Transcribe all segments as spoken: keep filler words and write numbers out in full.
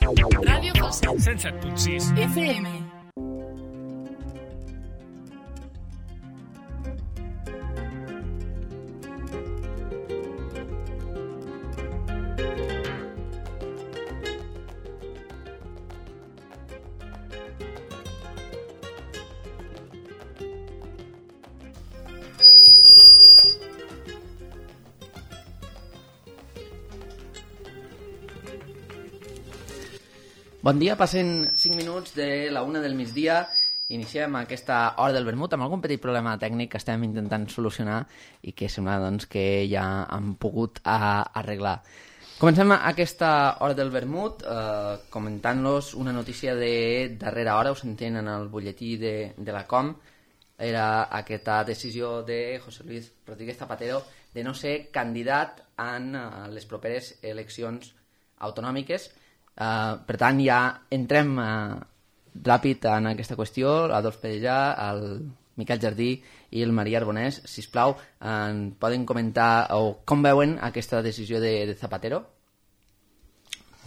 Ràdio Falset. cent set punt sis F M. Bon dia, passen cinc minuts de la una del migdia. Iniciem aquesta hora del vermut amb algun petit problema tècnic que estem intentant solucionar i que sembla doncs, que ja han pogut a, arreglar. Comencem aquesta hora del vermut eh, comentant-los una notícia de darrera hora, ho sentem en el butlletí de, de la Com. Era aquesta decisió de José Luis Rodríguez Zapatero de no ser candidat en uh, les properes eleccions autonòmiques. Uh, per tant, ja entrem uh, ràpid en aquesta qüestió. Adolf Pedellà, el Miquel Jardí i el Maria Arbonès, sisplau, en poden comentar o com veuen aquesta decisió de, de Zapatero?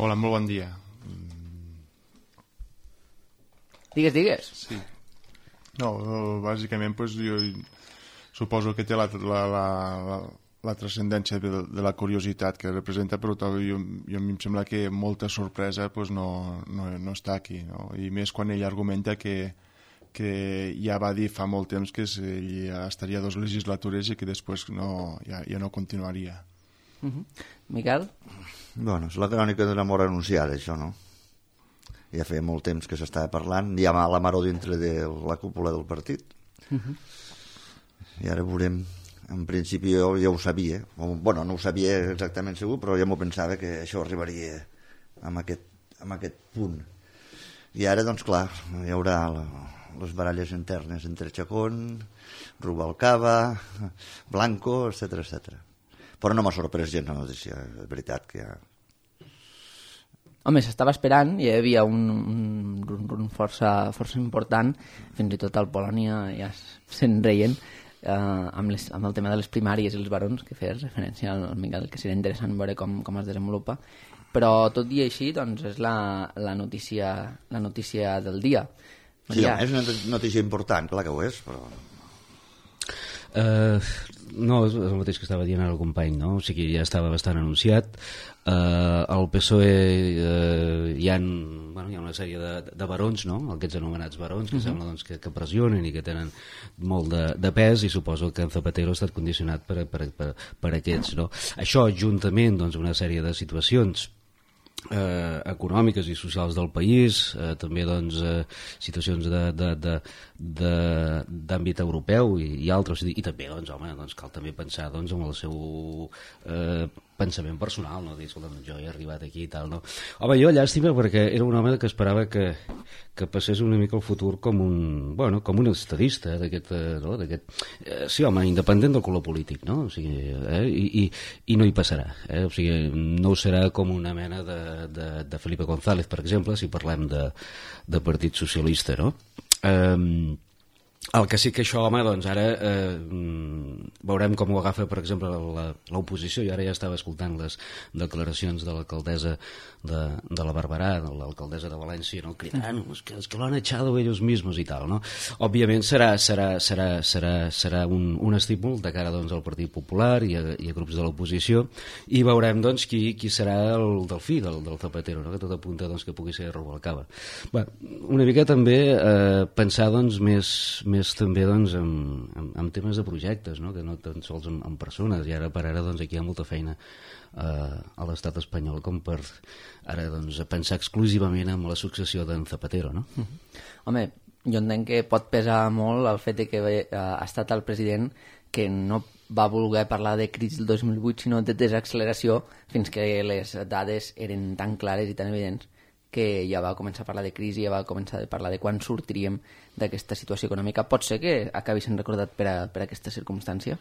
Hola, molt bon dia. Digues, digues. Sí. No, bàsicament pues, jo suposo que té la, la, la, la, la transcendència de, de la curiositat que representa, però jo, jo a mi em sembla que molta sorpresa pues, no, no, no està aquí, no? I més quan ell argumenta que, que ja va dir fa molt temps que ell ja estaria dos legislatures i que després no, ja, ja no continuaria. Uh-huh. Miquel? Bueno, és la crònica d'una mort anunciada, això, no? Ja feia molt temps que s'estava parlant, hi ha la maror dintre de la cúpula del partit. Uh-huh. I ara veurem. En principi jo ja ho sabia, o, bueno, no ho sabia exactament segur, però ja m'ho pensava que això arribaria amb aquest, amb aquest punt. I ara, doncs clar, hi haurà la, les baralles internes entre Chacón, Rubalcaba, Blanco, etcètera, etcètera. Però no m'ha sorprès gens la notícia, és veritat que ja... Home, s'estava esperant, hi havia un, un, un força, força important, fins i tot al Polònia ja se'n reien, eh, amb, les, amb el tema de les primàries i els barons, que feies referència al Miquel, que seria interessant veure com, com es desenvolupa, però tot i així doncs, és la, la, notícia, la notícia del dia. Sí, ja... és una notícia important, clar que ho és, però... Uh, no, és el mateix que estava dient ara el company, no? O sigui, ja estava bastant anunciat. Uh, el P S O E uh, hi, ha, bueno, hi ha una sèrie de, de barons, no? Aquests anomenats barons, que uh-huh. sembla doncs, que, que pressionen i que tenen molt de, de pes, i suposo que en Zapatero ha estat condicionat per, per, per, per aquests, no? Això, juntament doncs, una sèrie de situacions Eh, econòmiques i socials del país, eh, també doncs, eh, situacions d'àmbit europeu i, i altres, i, i també doncs, home, doncs, cal també pensar doncs, en el seu eh, pensament personal, no? Dir, escolta, jo he arribat aquí i tal, no? Home, jo llàstima perquè era un home que esperava que, que passés una mica el futur com un, bueno, com un estadista d'aquest, no? d'aquest, eh, sí, home, independent del color polític, no? O sigui, eh? I, i, i no hi passarà, eh? O sigui, no serà com una mena de De, de Felipe González, per exemple, si parlem de, de Partit Socialista, no? Um, el que sí que això, home, doncs ara eh, veurem com ho agafa, per exemple, l'oposició. I ara ja estava escoltant les declaracions de l'alcaldessa de, de la Barberà, de l'alcaldessa de València, no? Cridant, es que, es que lo han echado ellos mismos i tal, no? Òbviament serà, serà, serà, serà, serà un, un estímul de cara doncs, al Partit Popular i a, i a grups de l'oposició, i veurem doncs, qui, qui serà el delfí del, del Zapatero, no? Que tot apunta doncs, que pugui ser Rubalcaba. Bé, una mica també eh, pensar doncs, més, més també doncs, en, en, en temes de projectes, no? Que no tan sols en, en persones, i ara per ara doncs, aquí hi ha molta feina eh, a l'estat espanyol com per ara doncs, pensar exclusivament en la successió d'en Zapatero, no? Mm-hmm. Home, jo entenc que pot pesar molt el fet de que eh, ha estat el president que no va voler parlar de crisi del dos mil vuit, sinó de desacceleració, fins que les dades eren tan clares i tan evidents que ja va començar a parlar de crisi, ja va començar a parlar de quan sortiríem d'aquesta situació econòmica. Pot ser que acabi sent recordat per, a, per aquesta circumstància?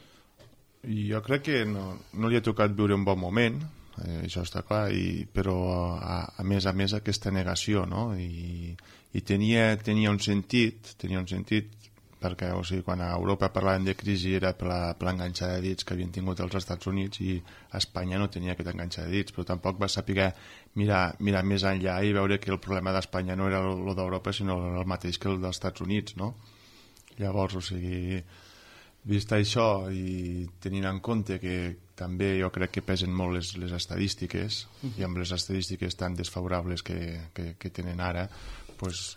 Jo crec que no, no li ha tocat viure un bon moment, eh, això està clar, i, però a, a més a més aquesta negació, no? I, i tenia, tenia un sentit, tenia un sentit perquè o sigui, quan a Europa parlaven de crisi era per la, per l'enganxa de dits que havien tingut els Estats Units, i Espanya no tenia aquest enganxa de dits, però tampoc va saber mirar, mirar més enllà i veure que el problema d'Espanya no era el d'Europa sinó el mateix que el dels Estats Units, no? Llavors, o sigui, vist això i tenint en compte que també jo crec que pesen molt les, les estadístiques, i amb les estadístiques tan desfavorables que, que, que tenen ara, pues,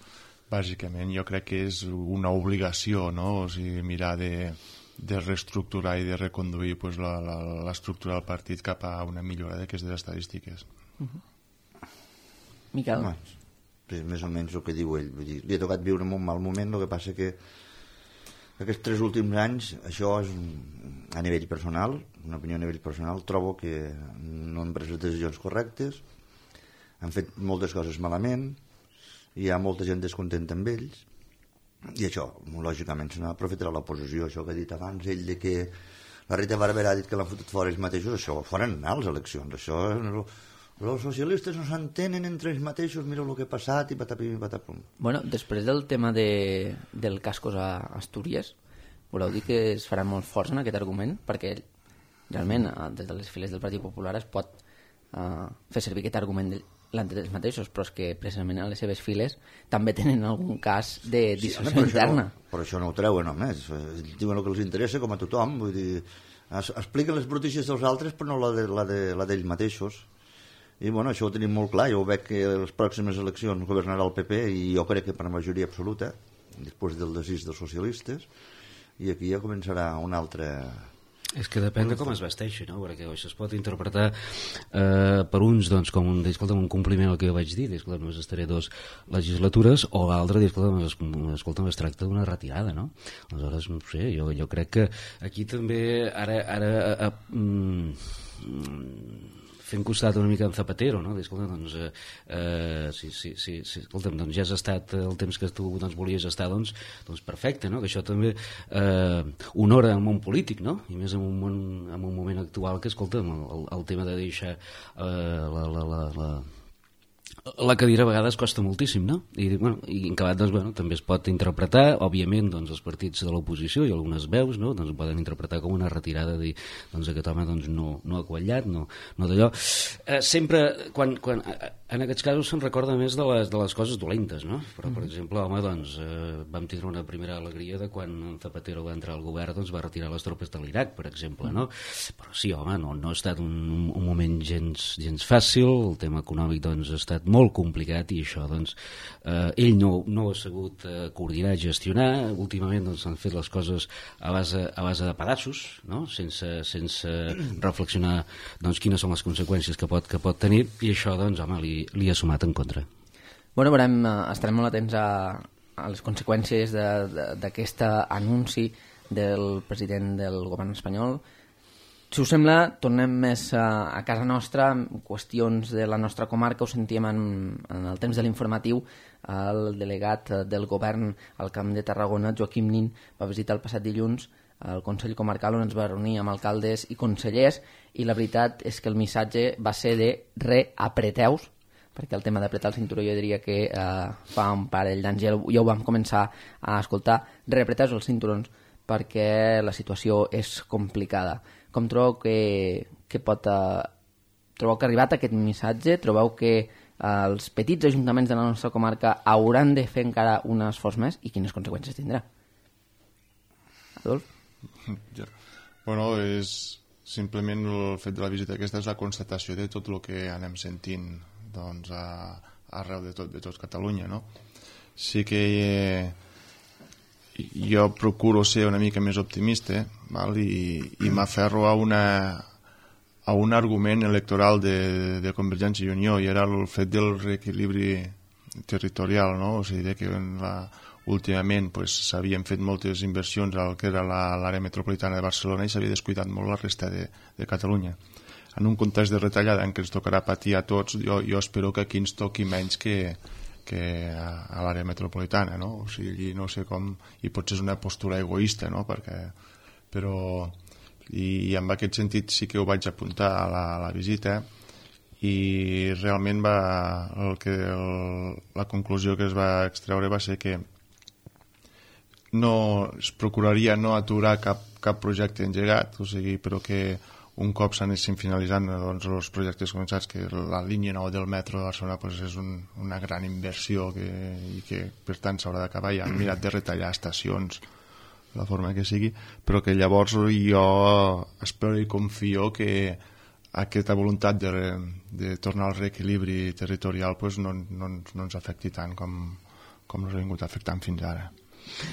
bàsicament jo crec que és una obligació, no? O sigui, mirar de, de reestructurar i de reconduir pues, la, la, l'estructura del partit cap a una millora d'aquestes estadístiques. Uh-huh. Miquel? Home, és més o menys el que diu ell. Vull dir, li ha tocat viure en un mal moment, el que passa que aquests tres últims anys, això és a nivell personal, una opinió a nivell personal, trobo que no han pres les decisions correctes, han fet moltes coses malament, hi ha molta gent descontenta amb ells, i això, lògicament, se n'aprofitarà l'oposició, això que ha dit abans, ell de que la Rita Barberà ha dit que l'han fotut fora ells mateixos, això foren anar a les eleccions, això... Els socialistes no s'entenen entre ells mateixos, mira el que ha passat i patapim i patapum. Bueno, després del tema de, del cascos a Astúries, voleu dir que es faran molt forts en aquest argument? Perquè realment des de les files del Partit Popular es pot uh, fer servir aquest argument delante dels mateixos, però és que precisament a les seves files també tenen algun cas de discussió sí, interna. No, però això no ho treuen només, diuen el que els interessa com a tothom, vull dir, es, expliquen les brutícies dels altres però no la de, la de, la d'ells mateixos. I bueno, això ho tenim molt clar, jo veig que les pròximes eleccions governarà el P P i jo crec que per majoria absoluta, després del desig dels socialistes, i aquí ja començarà una altra... És que depèn de com es vesteixi, no? Perquè això es pot interpretar eh, per uns doncs, com un, escolta, un compliment al que jo vaig dir, escolta, només estaré dos legislatures, o l'altre, escolta, escolta, es tracta d'una retirada, no? Aleshores, no sé, jo, jo crec que aquí també ara... ara a, a, mm, fent costat una mica en Zapatero, no? Escolta, doncs, eh, eh, si, si, si, si, escolta'm, doncs ja has estat el temps que tu doncs, volies estar, doncs, doncs perfecte, no? Que això també eh, honora el món polític, no? I més en un, món, en un moment actual que, escolta'm, el, el tema de deixar eh, la, la, la, la la cadira a vegades costa moltíssim, no? I, bueno, i en acabat, doncs, bueno, també es pot interpretar, òbviament, doncs, els partits de l'oposició i algunes veus, no? Doncs ho poden interpretar com una retirada de dir, doncs, aquest home doncs, no, no ha quallat, no, no d'allò. Eh, sempre, quan, quan, en aquests casos se'n recorda més de les, de les coses dolentes, no? Però, per exemple, home, doncs, eh, vam tindre una primera alegria de quan Zapatero va entrar al govern, doncs, va retirar les tropes de l'Iraq, per exemple, no? Però sí, home, no, no ha estat un, un moment gens, gens fàcil, el tema econòmic, doncs, ha estat molt complicat i això, doncs, eh, ell no, no ha sabut eh, coordinar, gestionar, últimament doncs s'han fet les coses a base, a base de pedaços, no? Sense, sense reflexionar doncs quines són les conseqüències que pot, que pot tenir, i això, doncs, home, li, li ha sumat en contra. Bueno, veurem, estarem molt atents a, a les conseqüències d'aquest anunci del president del govern espanyol. Si us sembla, tornem més a, a casa nostra, en qüestions de la nostra comarca. Ho sentíem en, en el temps de l'informatiu, el delegat del govern al Camp de Tarragona, Joaquim Nin, va visitar el passat dilluns el Consell Comarcal, on ens va reunir amb alcaldes i consellers, i la veritat és que el missatge va ser de reapreteu-vos, perquè el tema d'apretar el cinturó jo diria que eh, fa un parell d'anys ja, ja ho vam començar a escoltar, reapreteu-vos els cinturons perquè la situació és complicada. Com trobeu que, que pot... Eh, trobeu que ha arribat aquest missatge? Trobeu que eh, els petits ajuntaments de la nostra comarca hauran de fer encara un esforç més? I quines conseqüències tindrà? Adolf? Ja. Bueno, és simplement el fet de la visita aquesta és la constatació de tot el que anem sentint doncs, a, arreu de tot, de tot Catalunya, no? Sí que... Eh, jo procuro ser una mica més optimista, val? I, i m'aferro a, una, a un argument electoral de, de Convergència i Unió, i era el fet del reequilibri territorial, no? O sigui, que la, últimament pues, s'havien fet moltes inversions al que era l'àrea metropolitana de Barcelona i s'havia descuidat molt la resta de, de Catalunya. En un context de retallada en què ens tocarà patir a tots, jo, jo espero que aquí ens toqui menys que que a, a l'àrea metropolitana, no? O sigui, no sé com... I potser és una postura egoista, no? Perquè, però... I, i en aquest sentit sí que ho vaig apuntar a la, a la visita, i realment va... El que, el, la conclusió que es va extreure va ser que no es procuraria no aturar cap, cap projecte engegat, o sigui, però que un cop s'anessin finalitzant doncs, els projectes començats, que la línia nou del metro de Barcelona pues, és un, una gran inversió que, i que per tant s'haurà d'acabar, ja han mirat de retallar estacions de la forma que sigui, però que llavors jo espero i confio que aquesta voluntat de, de tornar al reequilibri territorial pues, no, no, no ens afecti tant com, com ens ha vingut afectant fins ara.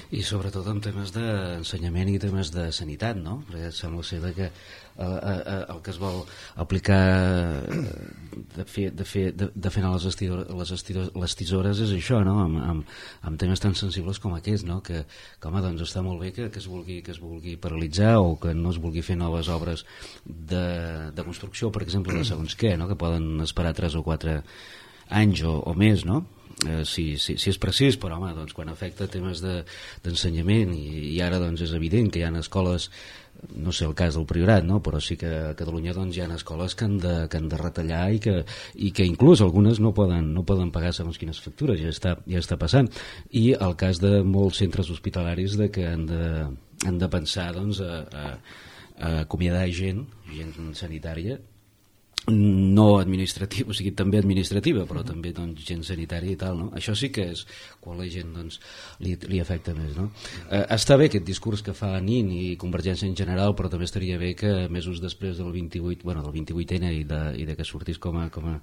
I sobretot en temes d'ensenyament i temes de sanitat, no? Perquè sembla ser que eh, eh, el que es vol aplicar de fer, de fer, de, de fer anar les, estidores, les, estidores, les tisores és això, no? Amb, amb, amb temes tan sensibles com aquests, no? Que, que home, doncs està molt bé que, que, es vulgui, que es vulgui paralitzar o que no es vulgui fer noves obres de, de construcció, per exemple, de segons què, no? Que poden esperar tres o quatre anys o, o més, no? Eh, si, si, si és precís, però home, doncs, quan afecta temes d'ensenyament de, i, i ara doncs, és evident que hi ha escoles, no sé el cas del Priorat, no? Però sí que a Catalunya doncs, hi ha escoles que han de, que han de retallar i que, i que inclús algunes no poden, no poden pagar segons quines factures, ja està, ja està passant. I el cas de molts centres hospitalaris de que han de, han de pensar doncs, a, a, a acomiadar gent, gent sanitària, no administrativa, o sigui, també administrativa, però també doncs, gent sanitària i tal, no? Això sí que és quan la gent doncs, li, li afecta més, no? Eh, està bé aquest discurs que fa Nin i Convergència en general, però també estaria bé que mesos després del vint-i-vuit, bueno, del vint-i-vuit ene i de, i de que sortís com a, com a,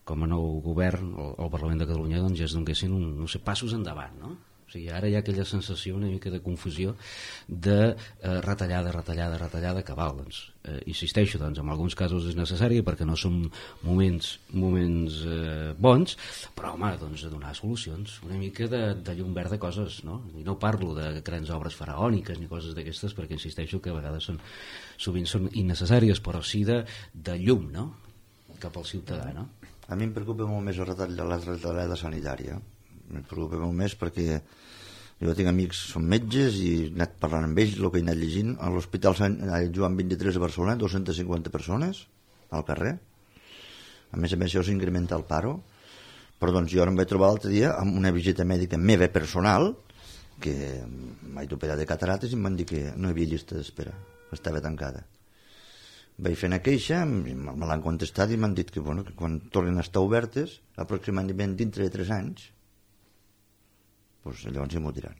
com a nou govern al Parlament de Catalunya, doncs ja es donessin un, no sé, passos endavant, no? O sigui, ara hi ha aquella sensació una mica de confusió de eh, retallada, retallada, retallada, cabal. Doncs, eh, insisteixo, doncs, en alguns casos és necessari perquè no són moments, moments eh, bons, però, home, doncs, donar solucions, una mica de, de llum verd de coses, no? I no parlo de grans obres faraòniques ni coses d'aquestes, perquè insisteixo que a vegades són, sovint són innecessàries, però sí de, de llum, no?, cap al ciutadà, no? A mi em preocupa molt més el retall de la retallada sanitària. Em preocupa molt més perquè jo tinc amics, són metges i he anat parlant amb ells, el que he anat llegint a l'Hospital Sant Joan vint-i-tres de Barcelona, dos-centes cinquanta persones al carrer, a més a més això s'incrementa el paro, però doncs jo ara em vaig trobar l'altre dia amb una visita mèdica meva personal que m'he operat de catarates i em van dir que no hi havia llista d'espera, estava tancada. Vaig fer una queixa, me l'han contestat i m'han dit que, bueno, que quan tornen a estar obertes aproximadament dintre de tres anys pues llavors ja m'ho diran.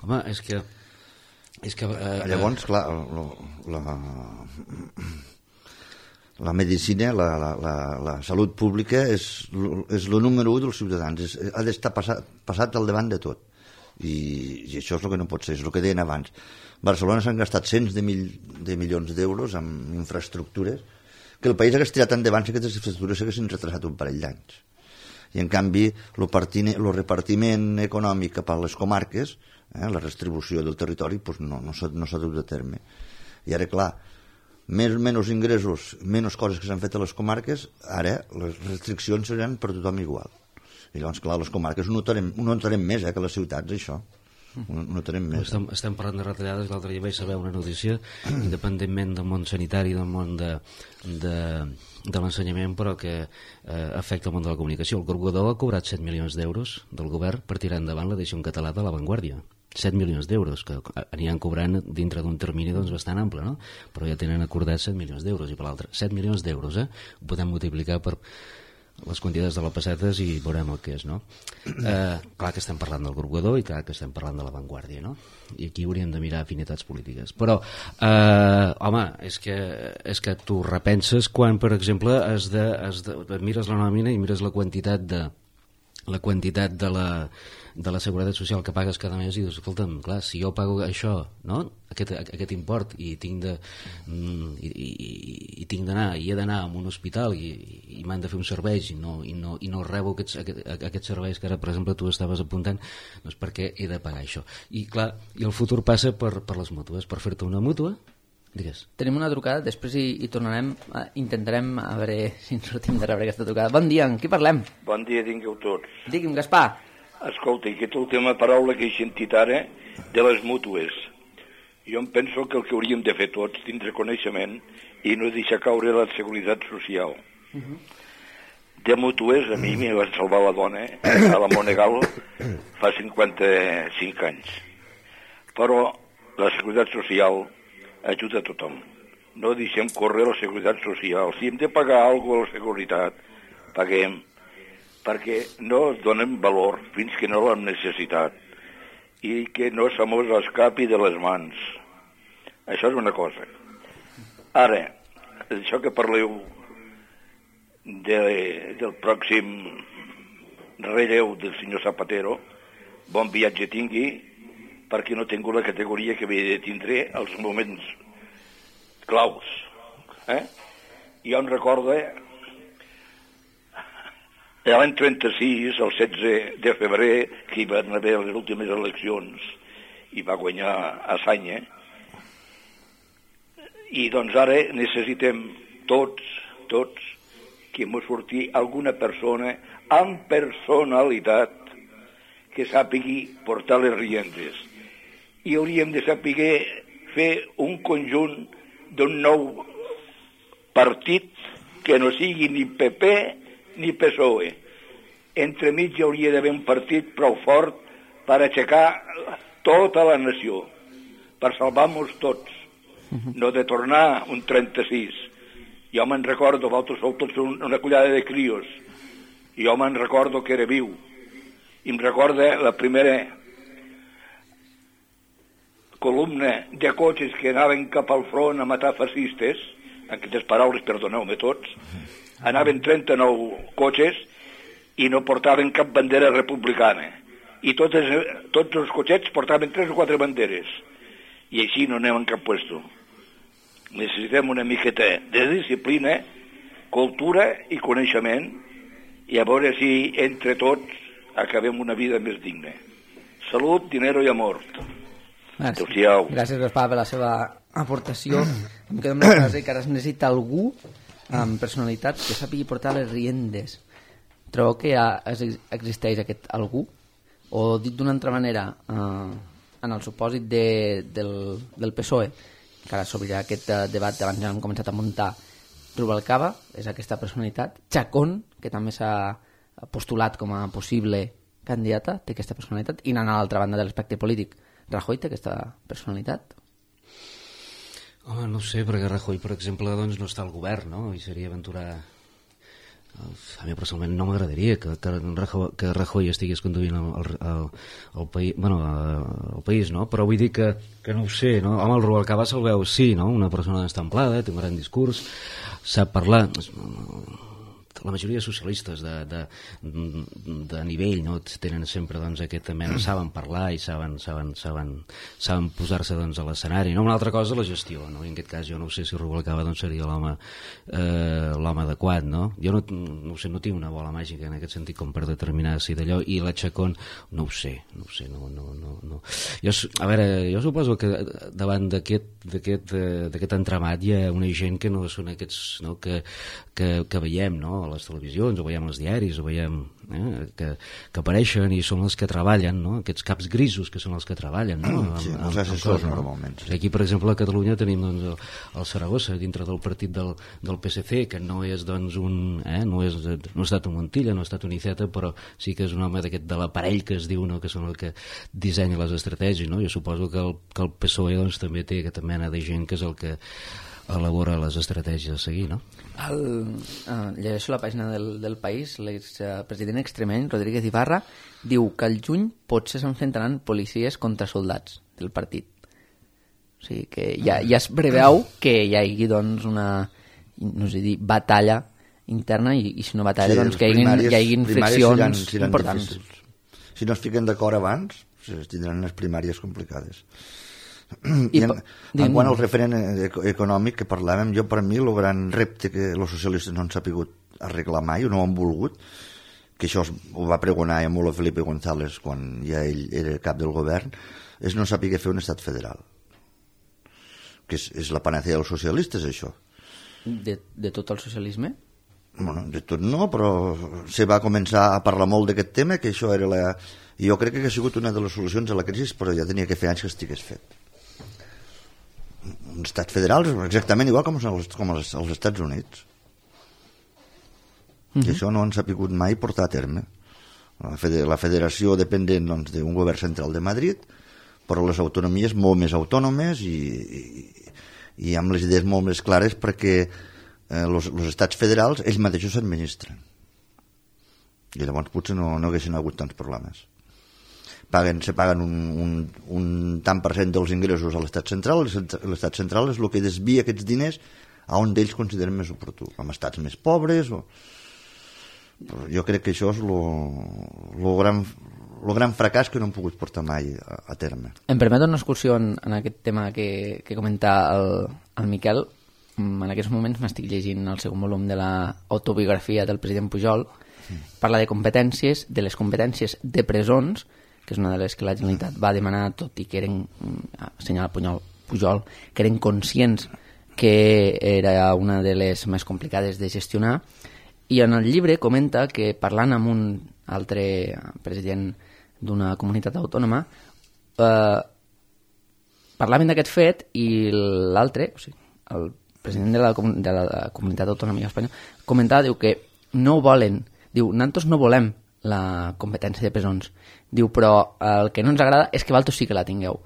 Home, és que... És que eh, llavors, clar, la, la, la medicina, la, la, la, la salut pública és, és el número u dels ciutadans, és, ha d'estar passat, passat al davant de tot. I, I això és el que no pot ser, és el que deien abans. Barcelona s'han gastat cents de, mil, de milions d'euros en infraestructures que el país hagués tirat endavant si aquestes infraestructures s'haguessin retrasat un parell d'anys. I en canvi el repartiment econòmic cap a les comarques, eh, la redistribució del territori pues no, no s'ha no dut a terme. I ara clar, més menys ingressos, menys coses que s'han fet a les comarques, ara les restriccions seran per tothom igual. I llavors clar, les comarques ho notarem, ho notarem més eh, que les ciutats, això. Ho notarem més. Estem, estem parlant de retallades. L'altre dia vaig saber una notícia, independentment del món sanitari, del món de, de, de l'ensenyament, però que eh, afecta el món de la comunicació. El Grup Godó ha cobrat set milions d'euros del govern per tirar endavant l'edició en català de La Vanguardia. set milions d'euros, que aniran cobrant dintre d'un termini doncs, bastant ample, no? Però ja tenen acordats set milions d'euros, i per l'altre, set milions d'euros, eh? Ho podem multiplicar per les quantitats de les pessetes i veurem el que és, no? Eh, clar que estem parlant del Grup Godó i clar que estem parlant de La Vanguardia, no? I aquí hauríem de mirar afinitats polítiques. Però, eh, home, és que, és que tu repenses quan, per exemple, has de, has de, mires la nòmina i mires la quantitat de la quantitat de la, de la seguretat social que pagues cada mes i dius, escolta'm, clar, si jo pago això, no? Aquest, aquest import i tinc de i, i, i tinc d'anar i he d'anar a un hospital i, i m'han de fer uns serveis i no, i no, i no rebo aquests, aquest, aquests serveis que ara, per exemple, tu estaves apuntant, doncs perquè he de pagar això. I clar, i el futur passa per, per les mútues, per fer-te una mútua. Digues. Tenim una trucada, després hi, hi tornarem, eh, intentarem a veure si ens sortim de rebre aquesta trucada. Bon dia, amb qui parlem? Bon dia, tingueu tots. Digui'm, Gaspar. Escolta, aquesta última paraula que he sentit ara de les mútues, jo em penso que el que hauríem de fer tots, tindre coneixement i no deixar caure la seguretat social. Uh-huh. de mútues, a mi m'hi va salvar la dona a la Monegal fa cinquanta-cinc anys. Però la Seguretat Social ajuda a tothom. No deixem córrer la Seguretat Social. Si hem de pagar alguna cosa a la Seguretat, paguem, perquè no es donen valor fins que no l'hem necessitat i que no se mos escapi de les mans. Això és una cosa. Ara, això que parleu de, del pròxim relleu del senyor Zapatero, bon viatge tingui, perquè no tinc la categoria que havia de tindre als moments claus. Eh? Jo em recordo l'any trenta-sis, el setze de febrer, que hi van haver les últimes eleccions i va guanyar Assanya, i doncs ara necessitem tots, tots, que ens surti alguna persona amb personalitat que sàpigui portar les riendes. I hauríem de saber fer un conjunt d'un nou partit que no sigui ni P P ni P S O E. Entremig hi hauria d'haver un partit prou fort per aixecar tota la nació, per salvar-nos tots, no de tornar un trenta-sis. Jo me'n recordo, vosaltres sou tots una collada de crios, jo me'n recordo que era viu, i em recorda la primera columna de cotxes que anaven cap al front a matar fascistes, en aquestes paraules, perdoneu-me tots, anaven trenta-nou cotxes i no portaven cap bandera republicana. I totes, tots els cotxets portaven tres o quatre banderes. I així no anem en cap puesto. Necessitem una miqueta de disciplina, cultura i coneixement, i a veure si entre tots acabem una vida més digna. Salut, dinero i amor. Gràcies, Gràcies Gaspar, per la seva aportació. Em quedo amb la frase que ara es necessita algú amb personalitat que sàpigui portar les riendes. Trobeu que ja existeix aquest algú? O dit d'una altra manera, eh, en el supòsit de, del, del P S O E, que ara s'obrirà aquest eh, debat que abans ja hem començat a muntar, Rubalcaba és aquesta personalitat, Chacón, que també s'ha postulat com a possible candidata, té aquesta personalitat, i anant a l'altra banda de l'espectre polític, Rajoy té aquesta personalitat? Home, no sé, perquè Rajoy, per exemple, doncs, no està al govern, no? I seria aventurar... A mi personalment no m'agradaria que, que, Rajoy, que Rajoy estigués conduint el, el, el, el, país, bueno, el país, no? Però vull dir que, que no ho sé, no? Home, el Rubalcaba se'l veu, sí, no? Una persona estamplada, té un gran discurs, sap parlar... La majoria de socialistes de, de, de nivell, no? Tenen sempre doncs, aquest, saben parlar i saben, saben, saben, saben posar-se doncs, a l'escenari, no? Una altra cosa la gestió, no? I en aquest cas jo no sé si Rubalcaba doncs, seria l'home eh, l'home adequat, no? Jo no, no, sé, no tinc una bola màgica en aquest sentit com per determinar si d'allò, i la Chacón no ho sé, no ho sé, no, no, no, no. Jo, a veure, jo suposo que davant d'aquest d'aquest entramat hi ha una gent que no són aquests, no? que, que, que veiem, no? A les televisions, o veiem als diaris, o veiem eh? que, que apareixen i són els que treballen, no? Aquests caps grisos que són els que treballen, no? Sí, amb, els assessors normalment. Sí. Aquí, per exemple, a Catalunya tenim doncs, el, el Saragossa, dintre del partit del, del P S C, que no és doncs, un... Eh? No, és, no ha estat un Montilla, no ha estat un Iceta, però sí que és un home d'aquest de l'aparell que es diu, no? Que són el que dissenya les estratègies, no? Jo suposo que el, que el P S O E doncs, també té aquesta mena de gent que és el que elabora les estratègies a seguir, no? El, uh, llegeixo la pàgina del, del País. L'expresident extremeny, Rodríguez Ibarra, diu que al juny potser s'enfrontaran policies contra soldats del partit. O sigui que ja, ja es preveu que hi hagi doncs, una, no sé dir, batalla interna i, i si no batalla, sí, doncs que hi hagi, hi hagi inflexions seran, seran importants. Difícils. Si no es fiquen d'acord abans, tindran unes primàries complicades. I, I en, en quant al referent econòmic que parlàvem, jo per mi el gran repte que els socialistes no han sapigut arreglar mai, o no han volgut, que això ho va pregonar a molt Felipe González quan ja ell era cap del govern, és no saber fer un estat federal, que és, és la panacea dels socialistes, això. De, de tot el socialisme? Bueno, de tot no, però se va començar a parlar molt d'aquest tema, que això era la... I jo crec que ha sigut una de les solucions a la crisi, però ja tenia que fer anys que estigués fet. Un estat federal exactament igual com els, com els, els Estats Units. Uh-huh. I això no ens ha pogut mai portar a terme. La, fede la federació dependent doncs, d'un govern central de Madrid, però les autonomies molt més autònomes i, i, i amb les idees molt més clares perquè els eh, estats federals ells mateixos s'administren. I llavors potser no, no haguessin hagut tants problemes. Paguen, se paguen un, un, un tant per cent dels ingressos a l'estat central, l'estat central és el que desvia aquests diners a on ells consideren més oportú, amb estats més pobres. O... Jo crec que això és el gran, lo gran fracàs que no hem pogut portar mai a, a terme. Em permet una excursió en, en aquest tema que, que comenta el, el Miquel. En aquests moments m'estic llegint el segon volum de l'autobiografia del president Pujol. Parla de competències, de les competències de presons, que és una de les que la Generalitat va demanar, tot i que eren, assenyala Pujol, Pujol, que eren conscients que era una de les més complicades de gestionar. I en el llibre comenta que parlant amb un altre president d'una comunitat autònoma, eh, parlaven d'aquest fet i l'altre, o sigui, el president de la, de la comunitat autònoma espanyola, comentava, diu que no volen, diu, nosaltres no volem la competència de presons, diu, però el que no ens agrada és que vosaltres sí que la tingueu.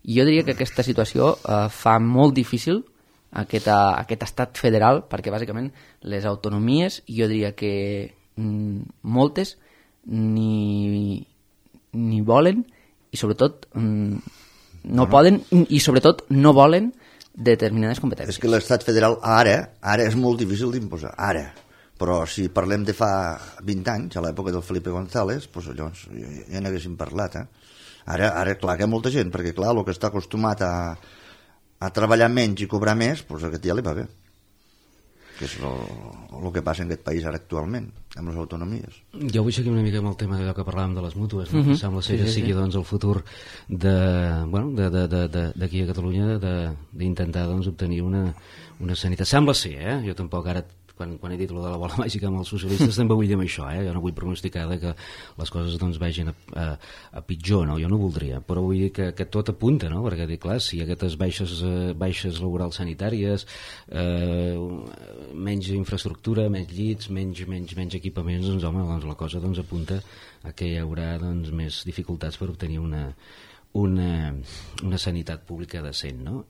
I jo diria que aquesta situació eh, fa molt difícil aquest, aquest estat federal, perquè bàsicament les autonomies, jo diria que mm, moltes ni, ni volen i sobretot mm, no bueno. poden i sobretot no volen determinades competències. És que l'estat federal ara, ara és molt difícil d'imposar, ara. Però si parlem de fa vint anys, a l'època del Felipe González, doncs llavors ja n'haguéssim parlat. Eh? Ara, ara, clar, que hi ha molta gent, perquè clar, el que està acostumat a, a treballar menys i cobrar més, doncs aquest ja li va bé. Que és el que passa en aquest país ara actualment, amb les autonomies. Jo vull seguir una mica amb el tema d'allò que parlàvem de les mútues, no? Mm-hmm. Sembla ser que sigui doncs, el futur de, bueno, de, de, de, de, d'aquí a Catalunya d'intentar doncs, obtenir una, una sanitat. Sembla ser, eh? Jo tampoc ara quan, quan he dit allò de la bola màgica amb els socialistes també vull dir això, eh? Jo no vull pronosticar que les coses doncs, vagin a, a, a pitjor, no? Jo no voldria, però vull dir que, que tot apunta, no? Perquè dic, clar, si hi ha aquestes baixes, eh, baixes laborals sanitàries, eh, menys infraestructura, menys llits, menys, menys, menys equipaments, doncs home, doncs, la cosa doncs, apunta a que hi haurà doncs, més dificultats per obtenir una, una, una sanitat pública decent, no?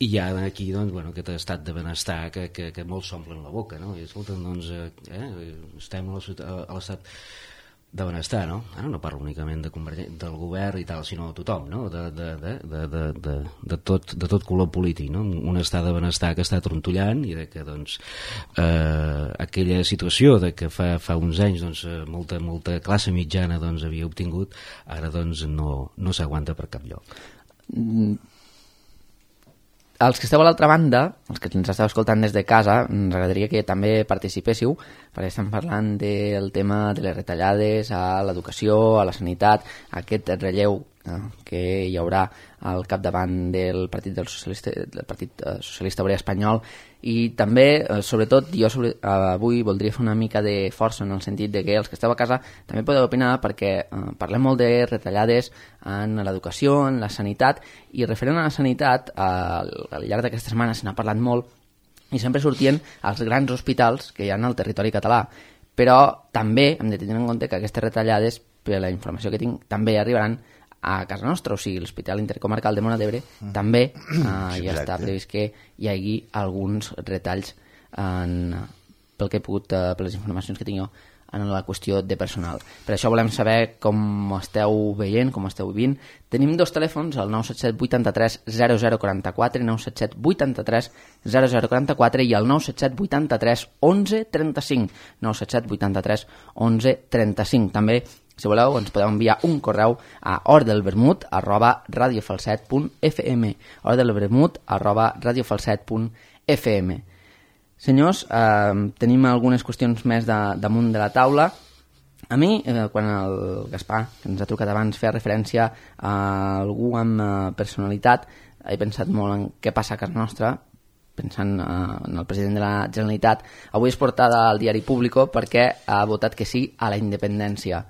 I hi ha aquí doncs, bueno, aquest estat de benestar que, que, que molts s'omplen la boca, no? I escolta, doncs, eh, estem a l'estat de benestar, no? Ara no parlo únicament de del govern i tal, sinó de tothom, no? De, de, de, de, de, de, de, tot, de tot color polític, no? Un estat de benestar que està trontollant i de que, doncs, eh, aquella situació de que fa, fa uns anys doncs, molta, molta classe mitjana doncs, havia obtingut, ara doncs, no, no s'aguanta per cap lloc. Mm. Els que esteu a l'altra banda, els que ens esteu escoltant des de casa, ens agradaria que també participéssiu, perquè estem parlant del tema de les retallades a l'educació, a la sanitat, aquest relleu eh, que hi haurà al capdavant del Partit del Socialista, del Partit Socialista Obrer Espanyol, i també, eh, sobretot, jo sobre, eh, avui voldria fer una mica de força en el sentit de que els que esteu a casa també podeu opinar, perquè eh, parlem molt de retallades en l'educació, en la sanitat, i referent a la sanitat, eh, al llarg d'aquesta setmana se n'ha parlat molt, i sempre sortien els grans hospitals que hi ha al territori català, però també hem de tenir en compte que aquestes retallades, per la informació que tinc, també arribaran a casa nostra, o sigui, l'Hospital Intercomarcal de Móra d'Ebre mm. també eh, ja està previst que hi hagi alguns retalls en, pel que he pogut, eh, per les informacions que tinc jo, en la qüestió de personal. Per això volem saber com esteu veient, com esteu vivint. Tenim dos telèfons, el nou set set vuit tres zero zero quatre quatre, nou set set vuit tres zero zero quatre quatre i el nou set set vuit tres onze trenta cinc, nou set set vuit tres onze trenta cinc. També, si voleu, ens podeu enviar un correu a hordelvermut arroba radiofalset punt f m, hordelvermut arroba radiofalset punt f m. Senyors, eh, tenim algunes qüestions més de, damunt de la taula. A mi, eh, quan el Gaspar, que ens ha trucat abans, feia referència a algú amb eh, personalitat, he pensat molt en què passa a casa nostra, pensant eh, en el president de la Generalitat. Avui és portada al diari Público perquè ha votat que sí a la independència.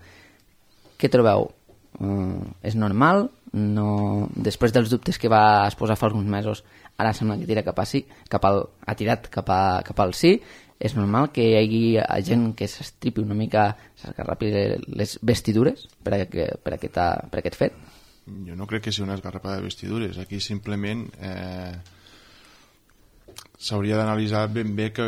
Què trobeu? Uh, és normal? No... Després dels dubtes que va exposar fa alguns mesos, ara sembla que tira cap a sí, cap al, ha tirat cap, a, cap al sí. és normal que hi hagi gent que s'estripi una mica, s'esgarrapi les vestidures per, a, per, aquesta, per aquest fet? Jo no crec que sigui una esgarrapada de vestidures. Aquí simplement eh, s'hauria d'analitzar ben bé què,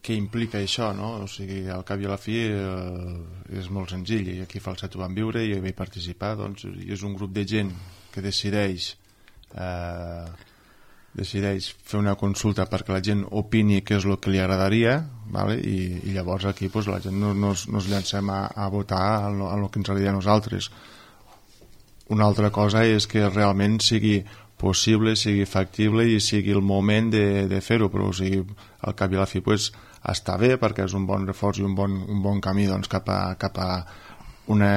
què implica això, no? O sigui, al cap i a la fi eh, és molt senzill, i aquí a Falset ho vam viure i hi vaig participar, doncs és un grup de gent que decideix eh, decideix fer una consulta perquè la gent opini què és el que li agradaria, vale? I, i llavors aquí pues, la gent no, no, no es llancem a, a votar en el que ens agradaria a nosaltres. Una altra cosa és que realment sigui possible, sigui factible i sigui el moment de, de fer-ho, però o sigui, al cap i a la fi pues, està bé perquè és un bon reforç i un bon, un bon camí doncs, cap, a, cap a una,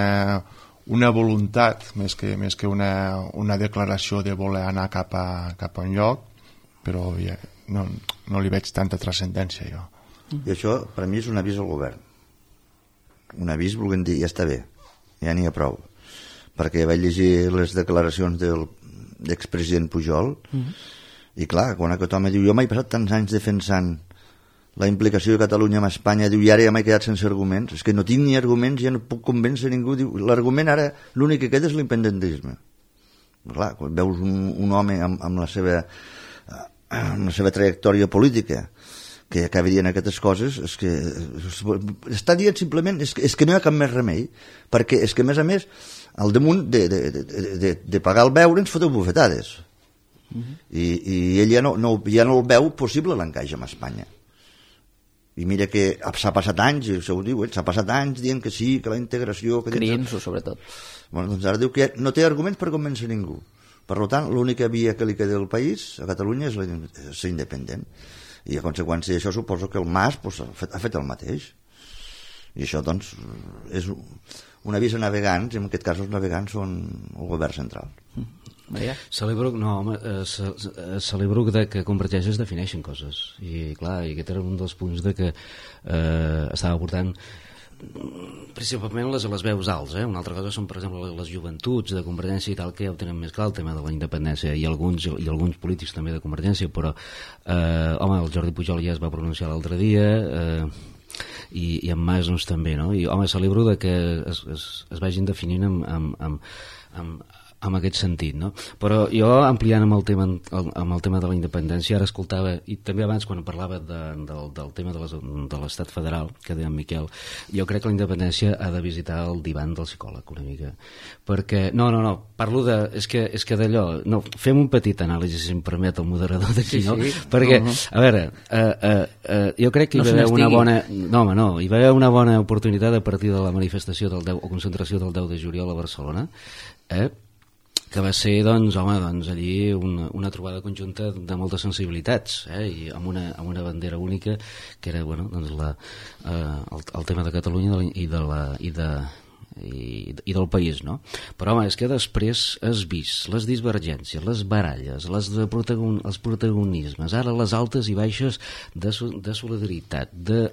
una voluntat més que, més que una, una declaració de voler anar cap a, cap a un lloc, però ja, no, no li veig tanta transcendència jo. I això per mi és un avís al govern, un avís volent dir ja està bé, ja n'hi ha prou, perquè vaig llegir les declaracions del l'expresident Pujol mm-hmm. i clar, quan aquest home diu jo m'he passat tants anys defensant la implicació de Catalunya amb Espanya, diu i ara ja m'he quedat sense arguments, és que no tinc ni arguments, ja no puc convèncer ningú, diu l'argument ara l'únic que queda és l'independentisme. Clar, quan veus un, un home amb, amb, la seva, amb la seva trajectòria política que acaba dient aquestes coses, és que està dient simplement és que, és que no hi ha cap més remei, perquè és que a més a més al damunt de, de, de, de, de pagar el beure ens foteu bufetades. Uh-huh. I, i ell ja no, no, ja no el veu possible l'encaix amb Espanya. I mira que s'ha passat anys, això ho diu, s'ha passat anys dient que sí, que la integració... Crient-s'ho, sobretot. Bueno, doncs ara diu que no té arguments per convèncer ningú. Per tant, l'única via que li queda al país, a Catalunya, és, la, és ser independent. I a conseqüència d'això suposo que el Mas pues, ha, fet, ha fet el mateix. I això, doncs, és un avís a navegants, i en aquest cas els navegants són el govern central. Maria? Celebro, no, home, eh, ce, celebro que, de, que Convergeix es defineixen coses. I, clar, i aquest era un dels punts de que eh, estava portant principalment les, les veus alts, eh? Una altra cosa són, per exemple, les joventuts de Convergència i tal, que ja ho tenen més clar, el tema de la independència, i alguns, i alguns polítics també de Convergència, però, eh, home, el Jordi Pujol ja es va pronunciar l'altre dia, eh, i, i en Mas doncs, també, no? I, home, celebro de que es, es, es vagin definint amb, amb, amb, amb en aquest sentit, no? Però jo, ampliant amb el tema, amb el tema de la independència, ara escoltava, i també abans quan parlava de, del, del tema de, les, de l'estat federal, que deia en Miquel, jo crec que la independència ha de visitar el divan del psicòleg una mica, perquè, no, no, no, parlo de, és que, és que d'allò, no, fem un petit anàlisi, si em permet el moderador d'aquí, sí, no? Sí. Perquè, uh-huh. a veure, uh, uh, uh, jo crec que hi va haver una bona, no, home, no, hi va haver una bona oportunitat a partir de la manifestació del deu, o concentració del deu de juliol a Barcelona, eh? Que va ser, doncs, home, doncs, allí una, una trobada conjunta de moltes sensibilitats, eh? I amb una, amb una bandera única, que era, bueno, doncs, la, eh, el, el tema de Catalunya i, de la, i, de, i, i del país, no? Però, home, és que després has vist les divergències, les baralles, les de protagon, els protagonismes, ara les altes i baixes de, de solidaritat, de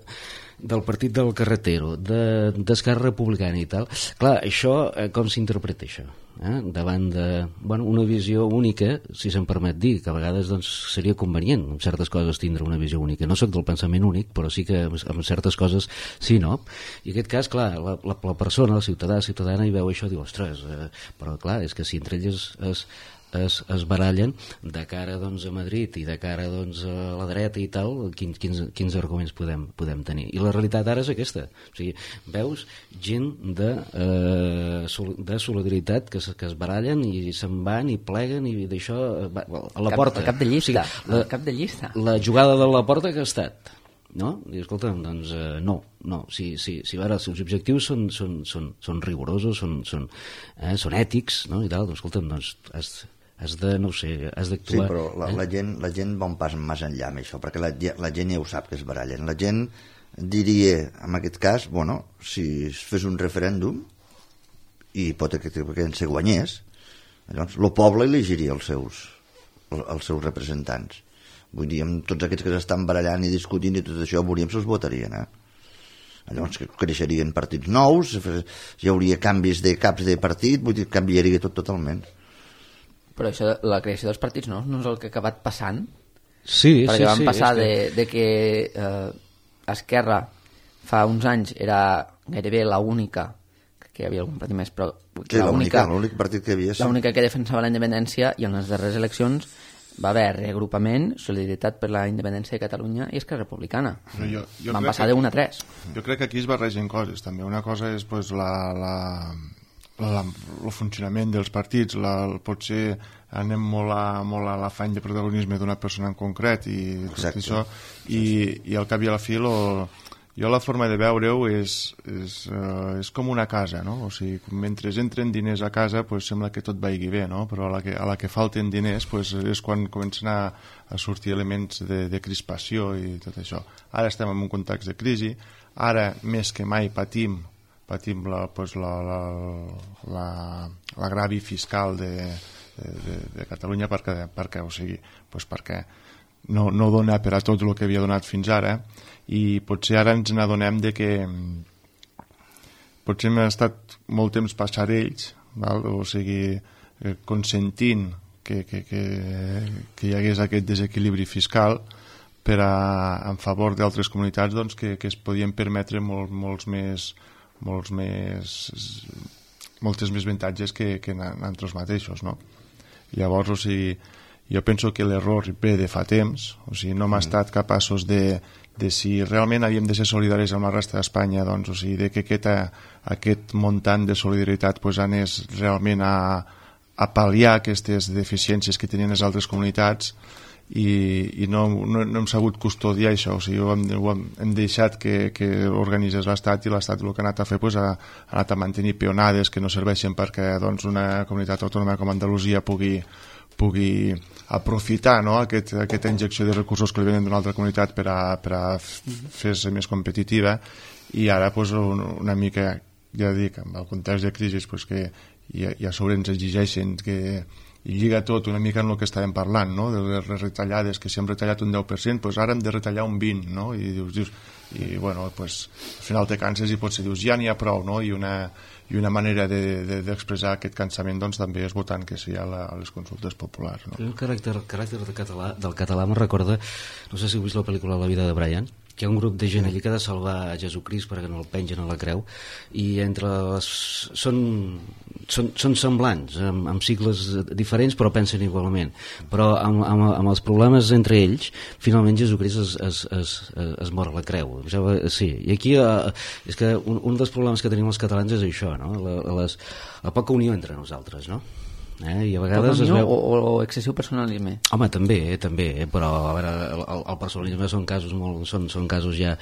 del partit del Carretero, de, d'Esquerra Republicana i tal. Clar, això, eh, com s'interpreta això? Eh? Davant de, bueno, una visió única, si se'm permet dir, que a vegades doncs, seria convenient en certes coses tindre una visió única. No sóc del pensament únic, però sí que en certes coses sí, no? I en aquest cas, clar, la, la, la persona, el ciutadà, la ciutadana, hi veu això i diu, ostres, eh, però clar, és que si entre ells es, es, es barallen de cara doncs, a Madrid i de cara doncs, a la dreta i tal, quins, quins, quins arguments podem, podem tenir. I la realitat ara és aquesta. O sigui, veus gent de, eh, de solidaritat que, que es barallen i se'n van i pleguen i d'això a la cap, porta. Cap de llista. O sigui, la, cap de llista. La jugada de la porta que ha estat. No? I escolta'm, doncs eh, no, no. Si, si, si veure, els seus objectius són, són, són, són rigorosos, són, són, eh, són ètics, no? I tal, doncs escolta'm, doncs has, has de, no ho sé, has d'actuar... Sí, però la, eh? la, gent, la gent va un pas més enllà amb això, perquè la, la gent ja ho sap que es barallen. La gent diria, en aquest cas, bueno, si es fes un referèndum i pot que, que se guanyés, llavors el poble elegiria els seus, els seus representants. Vull dir, amb tots aquests que s'estan barallant i discutint i tot això, veuríem si els votarien, eh? Llavors creixerien partits nous, hi hauria canvis de caps de partit, vull dir, canviaria tot totalment. Però això, la creació dels partits nous no és el que ha acabat passant? Sí, perquè sí, van sí, passar que... de, de que eh, Esquerra fa uns anys era gairebé l'única, que hi havia algun partit més, però Sí, l'única, l'únic partit que hi havia. Sí. L'única que defensava la independència, i en les darreres eleccions va haver reagrupament, Solidaritat per la Independència de Catalunya i Esquerra Republicana. Jo, jo Van crec passar que- de un a tres. Jo crec que aquí es barregen coses, també. Una cosa és pues, la, la, la, el funcionament dels partits, la, el, potser anem molt a, molt a l'afany de protagonisme d'una persona en concret i tot Exacte. això, i, i al cap i a la fi lo, jo la forma de veure-ho és, és, uh, és com una casa, no? O sigui, mentre entren diners a casa pues, sembla que tot vagi bé, no? Però a la que, a la que falten diners pues, és quan comencen a, a sortir elements de, de crispació i tot això. Ara estem en un context de crisi, ara més que mai patim patim la, pues, la, la, la, l'agravi fiscal de, de, de, de Catalunya perquè, perquè, o sigui, pues perquè no, no dona per a tot el que havia donat fins ara, i potser ara ens n'adonem de que potser hem estat molt temps passarells, val? O sigui, eh, consentint que, que, que, que hi hagués aquest desequilibri fiscal per a, en favor d'altres comunitats doncs, que, que es podien permetre molt, molts més molts més moltes més avantatges que, que nosaltres mateixos, no? Llavors, o sigui, jo penso que l'error ve de fa temps, o sigui, no hem estat capaços de, de si realment havíem de ser solidaris amb la resta d'Espanya, doncs, o sigui, de que aquest, aquest muntant de solidaritat pues, anés realment a, a pal·liar aquestes deficiències que tenien les altres comunitats, i, i no, no, no hem sabut custodiar això, o sigui, ho hem, ho hem, hem deixat que, que organitzés l'Estat, i l'Estat el que ha anat a fer pues, ha, ha anat a mantenir peonades que no serveixen perquè doncs, una comunitat autònoma com Andalusia pugui, pugui aprofitar, no? aquest, aquesta injecció de recursos que li venen d'una altra comunitat per a, per a fer-se més competitiva, i ara pues, una mica, ja dic, amb el context de crisi pues, que ja, ja sobre ens exigeixen que i lliga tot una mica en el que estàvem parlant, no? De les retallades, que si hem retallat un deu per cent, doncs ara hem de retallar un vint per cent, no? I dius, dius i bueno, pues, al final te canses i potser dius, ja n'hi ha prou, no? I una, i una manera d'expressar de, de, aquest cansament doncs, també és votant que sí a, la, a les consultes populars, no? El caràcter, el caràcter del català, del català me recorda, no sé si heu vist la pel·lícula La vida de Brian, que hi ha un grup de gent allí que ha de salvar a Jesucrist perquè no el pengen a la creu, i entre les... són, són, són semblants, amb, amb cicles diferents, però pensen igualment. Però amb, amb, amb els problemes entre ells, finalment Jesucrist es, es, es, es, es mor a la creu. Sí, i aquí eh, és que un, un dels problemes que tenim els catalans és això, no? La, les, la poca unió entre nosaltres, no? Eh? I a vegades es veu... o, o excessiu personalisme. Home, també, eh, també, eh? Però a veure, el, el personalisme són casos molt, són, són casos ja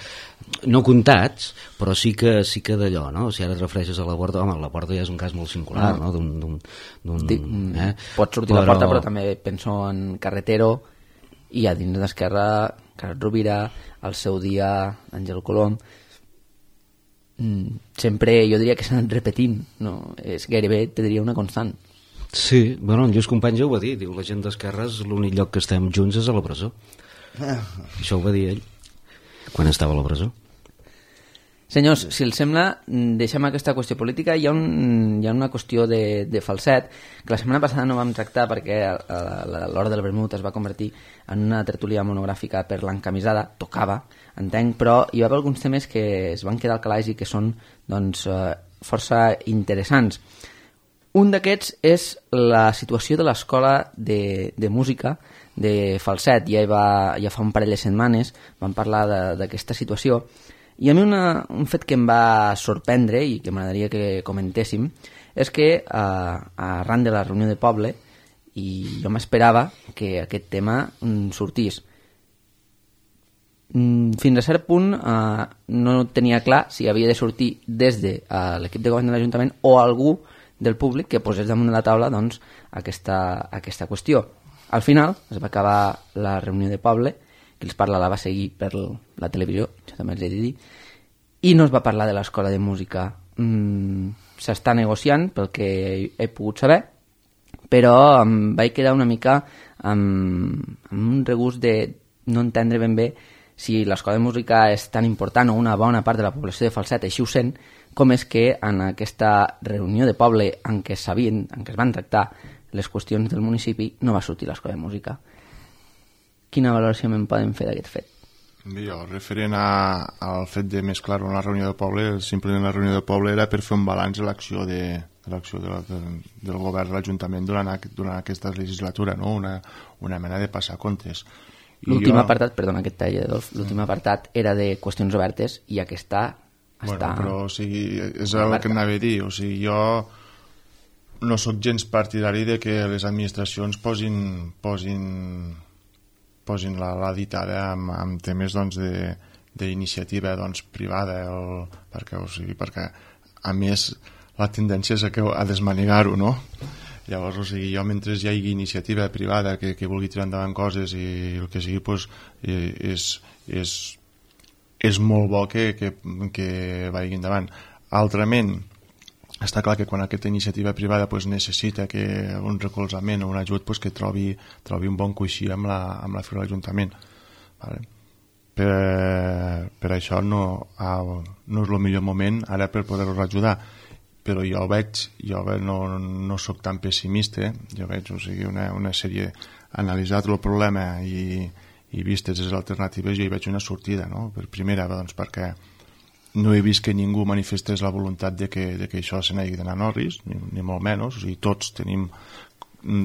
no comptats, però sí que sí que d'allò, no? Si ara et refereixes a la Porta, home, la Porta ja és un cas molt singular, no? D'un, d'un, d'un, Dic, eh? Pot sortir però... la Porta, però també penso en Carretero, i a dins d'Esquerra Carles Rovira, al seu dia Àngel Colom. Sempre jo diria que s'han anat repetint, no? És gairebé, te diria, una constant. Sí, bueno, en Lluís Companys ja ho va dir, diu, la gent d'Esquerra és l'únic lloc que estem junts és a la presó. Ah. Això ho va dir ell quan estava a la presó. Senyors, si els sembla, deixem aquesta qüestió política. Hi ha, un, hi ha una qüestió de, de falset que la setmana passada no vam tractar perquè a, a, a l'hora del vermut es va convertir en una tertúlia monogràfica per l'encamisada, tocava, entenc, però hi va haver alguns temes que es van quedar al calaix i que són doncs, força interessants. Un d'aquests és la situació de l'escola de, de música de Falset. Ja, va, ja fa un parell de setmanes vam parlar d'aquesta situació, i a mi una, un fet que em va sorprendre i que m'agradaria que comentéssim és que eh, arran de la reunió de poble, i jo m'esperava que aquest tema mm, sortís. Mm, fins a cert punt eh, no tenia clar si havia de sortir des de eh, l'equip de govern de l'Ajuntament o algú del públic que posés damunt de la taula doncs, aquesta, aquesta qüestió. Al final es va acabar la reunió de poble, que els parla la va seguir per la televisió, això també els he de dir, i no es va parlar de l'escola de música. Mm, s'està negociant, pel que he pogut saber, però em vaig quedar una mica amb, amb un regust de no entendre ben bé si l'escola de música és tan important o una bona part de la població de Falset així ho sent, com és que en aquesta reunió de poble en què sabien, en què es van tractar les qüestions del municipi, no va sortir l'escola de música. Quina valoració me'n poden fer d'aquest fet? Bé, jo, referent a, al fet de mesclar una reunió de poble, simplement la reunió de poble era per fer un balanç de l'acció de, de l'acció de, de, del govern de l'Ajuntament durant, durant aquesta legislatura, no? una, una mena de passar comptes. L'últim jo... apartat, perdona que et talli, Adolf, l'últim mm. apartat era de qüestions obertes i aquesta està... Bueno, però o sigui, és el que anava a dir, o sigui, jo no sóc gens partidari de que les administracions posin, posin, posin la, la ditada amb, amb temes doncs, d'iniciativa doncs, privada, el, perquè, o sigui, perquè a més la tendència és a, que, a desmanegar-ho, no? Llavors, o sigui, jo mentre hi hagi iniciativa privada que, que vulgui tirar endavant coses i el que sigui, pues, és, és, és molt bo que, que, que vagi endavant. Altrament, està clar que quan aquesta iniciativa privada pues, necessita que un recolzament o un ajut pues, que trobi, trobi un bon coixí amb la, amb la fira de l'Ajuntament. Vale? Per, per això no, no és el millor moment ara per poder-los ajudar. Però jo veig, jo no, no sóc tan pessimista, jo veig o sigui, una, una sèrie, analitzat el problema i, i vistes les alternatives, jo hi veig una sortida, no? Per primera, doncs, perquè no he vist que ningú manifestés la voluntat de que, de que això se n'hagi d'anar a Norris, ni, ni molt menys, o sigui, tots tenim,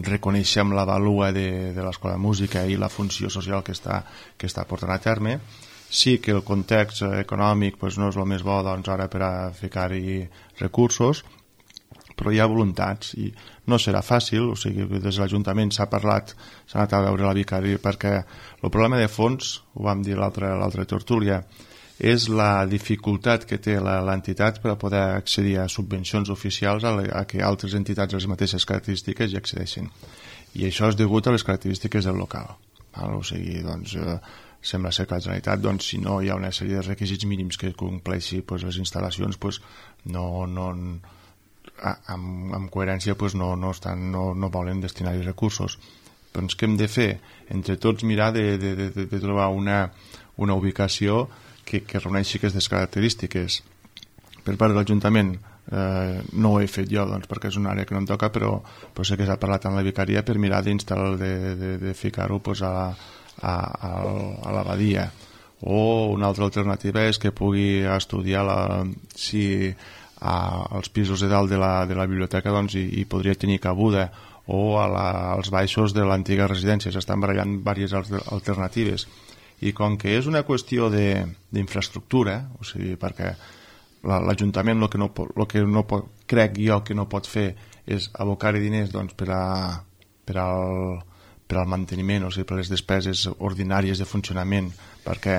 reconeixem la valua de, de l'Escola de Música i la funció social que està, que està portant a terme. Sí que el context econòmic pues, no és el més bo doncs, ara per a ficar-hi recursos, però hi ha voluntats i no serà fàcil, o sigui, des de l'Ajuntament s'ha parlat, s'ha anat a veure la vicària perquè el problema de fons, ho vam dir l'altra l'altra tertúlia, és la dificultat que té l'entitat per a poder accedir a subvencions oficials a, a que altres entitats de les mateixes característiques hi accedeixin. I això és degut a les característiques del local. Val? O sigui, doncs... Eh, sembla ser que la Generalitat, doncs, si no hi ha una sèrie de requisits mínims que compleixi pues, les instal·lacions, pues, no, no, amb, amb coherència pues, no, no, estan, no, no volen destinar-hi recursos. Doncs què hem de fer? Entre tots mirar de, de, de, de trobar una, una ubicació que, que reuneixi aquestes característiques. Per part de l'Ajuntament eh, no ho he fet jo doncs, perquè és una àrea que no em toca, però, però sé que s'ha parlat amb la vicaria per mirar d'instal·lar, de, de, de ficar-ho pues, a la a, a, a l'abadia. O una altra alternativa és que pugui estudiar la, si a, als pisos de dalt de la, de la biblioteca doncs, hi, hi podria tenir cabuda, o a la, als baixos de l'antiga residència. S'estan barallant diverses alternatives i com que és una qüestió d'infraestructura, o sigui, perquè l'Ajuntament el que no, pot, el que no pot, crec jo que no pot fer és abocar-hi diners doncs, per, a, per al per al manteniment, o sigui, per les despeses ordinàries de funcionament, perquè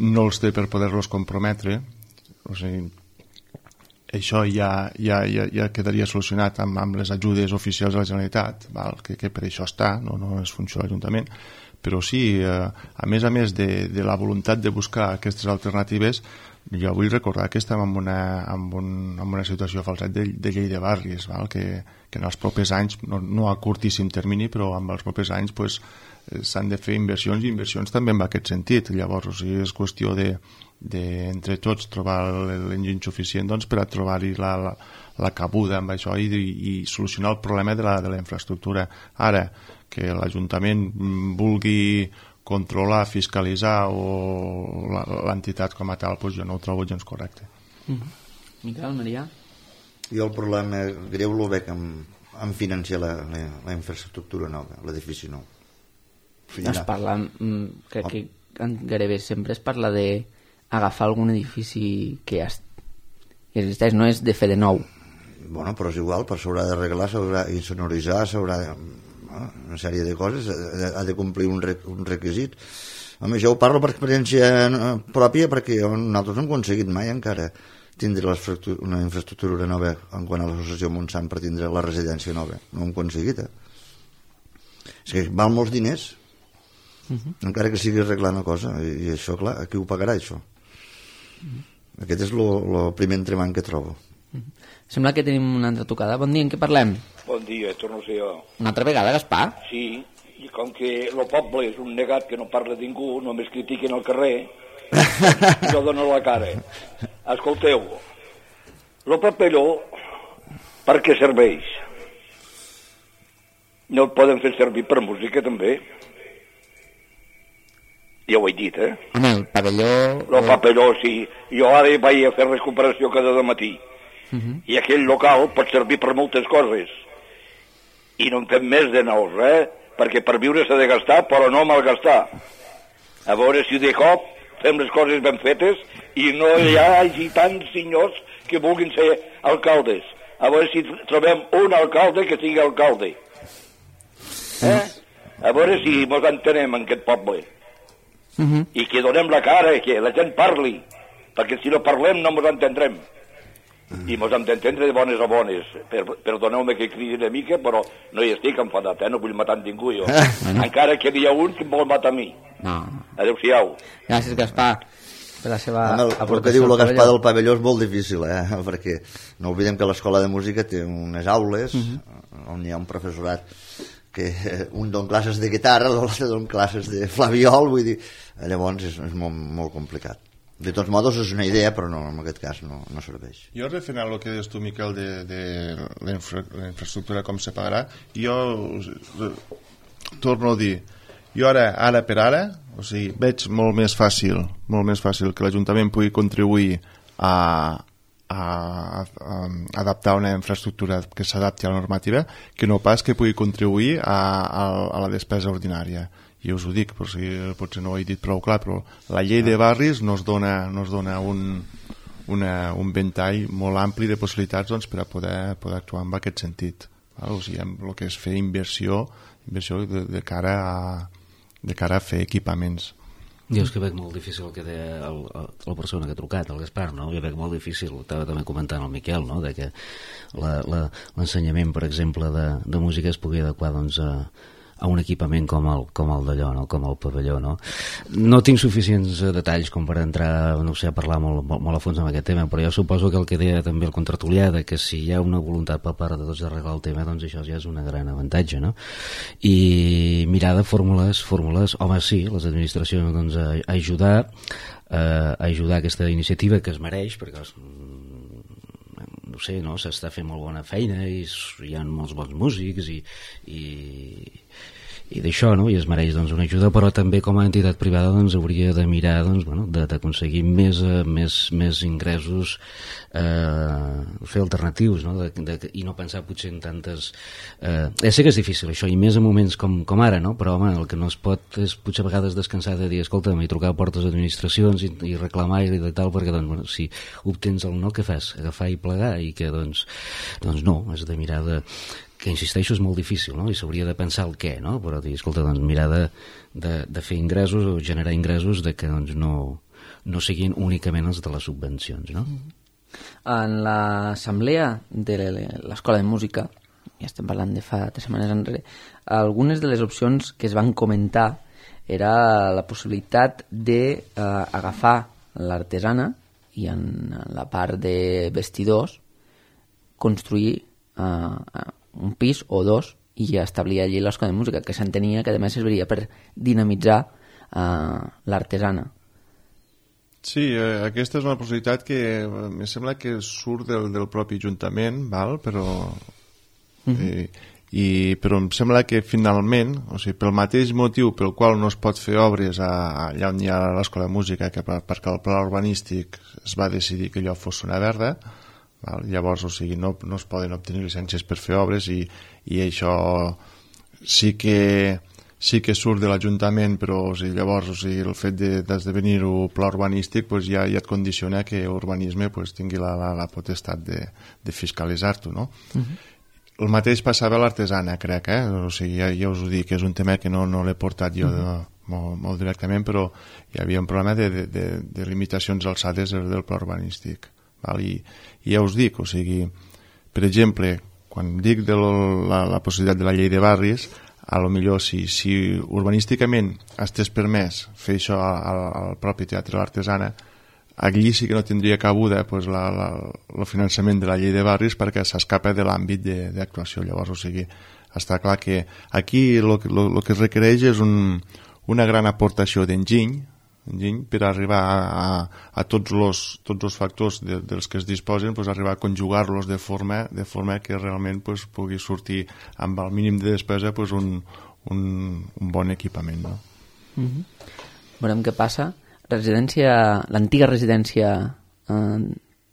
no els té per poder-los comprometre. O sigui, això ja, ja, ja, ja quedaria solucionat amb, amb les ajudes oficials de la Generalitat, val? Que, que per això està, no, no és funció de l'Ajuntament, però sí, eh, a més a més de, de la voluntat de buscar aquestes alternatives, jo vull recordar que estem en una, en un, en una situació falset de, de llei de barris, val? Que, que en els propers anys, no, no a curtíssim termini, però en els propers anys pues, s'han de fer inversions i inversions també en aquest sentit. Llavors, o sigui, és qüestió de, de entre tots trobar l'enginy suficient doncs, per a trobar-hi la, la, la cabuda amb això i, i solucionar el problema de la, de la infraestructura. Ara, que l'Ajuntament vulgui controlar, fiscalitzar o l'entitat com a tal, doncs jo no ho trobo gens correcte. Mm-hmm. Miquel, Maria? Jo el problema greu el veig en, en financiar la, la, la infraestructura nova, l'edifici nou. Es parla, crec que gairebé sempre es parla de agafar algun edifici que ja existeix, no és de fer de nou. Bueno, però és igual, però s'haurà d'arreglar, s'haurà d'insonoritzar, s'haurà de... una sèrie de coses, ha de complir un, re, un requisit. Home, jo ho parlo per experiència pròpia perquè nosaltres no hem aconseguit mai encara tindre una infraestructura nova en quant a l'associació Montsant per tindre la residència nova. No ho hem aconseguit, eh? És que val molts diners, uh-huh. encara que sigui arreglar una cosa, i, i això, clar, a qui ho pagarà, això? Uh-huh. Aquest és el primer entremant que trobo. Uh-huh. Sembla que tenim una altra tocada. Bon dia, en què parlem? Bon dia, torno a ser jo. Una altra vegada, Gaspar? Sí, i com que el poble és un negat que no parla ningú, només critiquen al carrer, jo dono la cara. Escolteu, el papeló per què serveix? No el poden fer servir per música també? Ja ho he dit, eh? En el pavelló... El pavelló, sí. Jo ara vaig a fer recuperació cada matí. Uh -huh. I aquell local pot servir per moltes coses. I no en fem més de nous, eh? Perquè per viure s'ha de gastar, però no malgastar. A veure si de cop fem les coses ben fetes i no hi hagi tants senyors que vulguin ser alcaldes. A veure si trobem un alcalde que sigui alcalde. Eh? A veure si mos entenem en aquest poble. Uh -huh. I que donem la cara, que la gent parli, perquè si no parlem no mos entendrem. I mos hem d'entendre de bones a bones. Per, perdoneu-me que cridi una mica, però no hi estic enfadat, eh? No vull matar ningú jo. Encara que hi ha un que em vol matar a mi. No. Adéu-siau. Gràcies, Gaspar, per la seva el, el que diu el Gaspar del pavelló és molt difícil, eh? Perquè no oblidem que l'escola de música té unes aules uh -huh. on hi ha un professorat que un don classes de guitarra, l'altre don classes de flabiol, vull dir, llavors és, és molt, molt complicat. De tots modos és una idea, però no, en aquest cas no, no serveix. Jo, referent al que deies tu, Miquel, de, de la, infra, la infraestructura, com se pagarà, jo torno a dir, jo ara, ara per ara, o sigui, veig molt més fàcil, molt més fàcil que l'Ajuntament pugui contribuir a, a, a, a adaptar una infraestructura que s'adapti a la normativa, que no pas que pugui contribuir a, a, a la despesa ordinària. I us ho dic, però si potser no ho he dit prou clar, però la llei de barris nos dona, nos dona un, una, un ventall molt ampli de possibilitats doncs, per a poder, poder actuar en aquest sentit. Val? O sigui, amb el que és fer inversió, inversió de, de, cara a, de cara a fer equipaments. Jo és que veig molt difícil el que deia el, el, la persona que ha trucat, el Gaspar, no? Jo veig molt difícil, ho estava també comentant el Miquel, no? De que l'ensenyament, per exemple, de, de música es pugui adequar doncs, a a un equipament com el, com el d'allò, no? Com el pavelló, no? No tinc suficients detalls com per entrar, no sé, a parlar molt, molt, molt a fons amb aquest tema, però jo suposo que el que deia també el contratulià, de que si hi ha una voluntat per part de tots d'arreglar el tema, doncs això ja és un gran avantatge, no? I mirar de fórmules, fórmules, home, sí, les administracions, doncs, a, a ajudar, a, a ajudar aquesta iniciativa que es mereix, perquè els, no sé, no? S'està fent molt bona feina i hi ha molts bons músics i, i, i d'això, no? I es mereix doncs, una ajuda, però també com a entitat privada doncs, hauria de mirar doncs, bueno, d'aconseguir més, més, més ingressos eh, fer alternatius, no? De, de, i no pensar potser en tantes eh, ja sé que és difícil això, i més en moments com, com ara, no? Però home, el que no es pot és potser a vegades descansar de dir, escolta'm, i trucar a portes d'administracions i, i reclamar i de tal, perquè doncs, bueno, si obtens el no, què fas? Agafar i plegar, i que doncs, doncs no, has de mirar de que insisteixo és molt difícil, no? I s'hauria de pensar el què, no? Però dir, escolta, doncs mirar de, de, de fer ingressos o generar ingressos de que doncs, no, no siguin únicament els de les subvencions, no? En l'assemblea de l'Escola de Música, ja estem parlant de fa tres setmanes enrere, algunes de les opcions que es van comentar era la possibilitat d'agafar eh, l'artesana i en la part de vestidors construir eh, un pis o dos i establir allí l'Escola de Música, que s'entenia que a més serviria per dinamitzar eh, l'artesana. Sí, eh, aquesta és una possibilitat que eh, em sembla que surt del, del propi Ajuntament, val? Però, mm-hmm. eh, i, però em sembla que finalment, o sigui, pel mateix motiu pel qual no es pot fer obres a, a, allà on hi ha l'Escola de Música, que per, perquè el pla urbanístic es va decidir que allò fos una verda, val? Llavors, o sigui, no, no es poden obtenir llicències per fer obres i, i això sí que sí que surt de l'Ajuntament, però o sigui, llavors o sigui, el fet d'esdevenir-ho pla urbanístic pues, ja, ja et condiciona que urbanisme pues, tingui la, la, la potestat de, de fiscalitzar-t'ho, no? Uh-huh. El mateix passava a l'artesana, crec, eh? O sigui, ja, ja us ho dic, que és un tema que no, no l'he portat jo uh-huh. de, molt, molt directament, però hi havia un problema de, de, de, de limitacions alçades del, del pla urbanístic. Val? I, I ja us dic, o sigui, per exemple, quan dic de la, la possibilitat de la llei de barris, a lo millor si, si urbanísticament estés permès fer això al, al propi Teatre de l'Artesana, allí sí que no tindria cabuda pues, la, la, el finançament de la llei de barris perquè s'escapa de l'àmbit d'actuació. Llavors, o sigui, està clar que aquí el que es requereix és un, una gran aportació d'enginy per arribar a, a, a tots els tots els factors de, dels que es disposen, pues, arribar a conjugar-los de forma, de forma que realment pues, pugui sortir amb el mínim de despesa pues, un, un, un bon equipament, no? Mm-hmm. veurem què passa. Residència, l'antiga residència eh,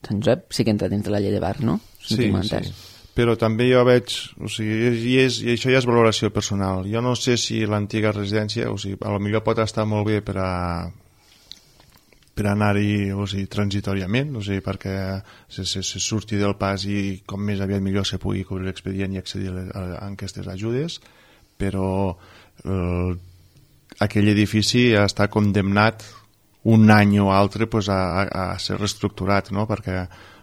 Sant Josep sí que entra dins de la llei de bar, no? Si Sí, sí. Però també jo veig, o sigui, i, és, i això ja és valoració personal. Jo no sé si l'antiga residència, o sigui, a lo millor pot estar molt bé per a per anar-hi, o sigui, transitoriament, o sigui, perquè se, se, se surti del pas i com més aviat millor se pugui cobrir l'expedient i accedir a, a, a aquestes ajudes, però eh, aquell edifici està condemnat un any o altre pues, a, a, a ser reestructurat, no? Perquè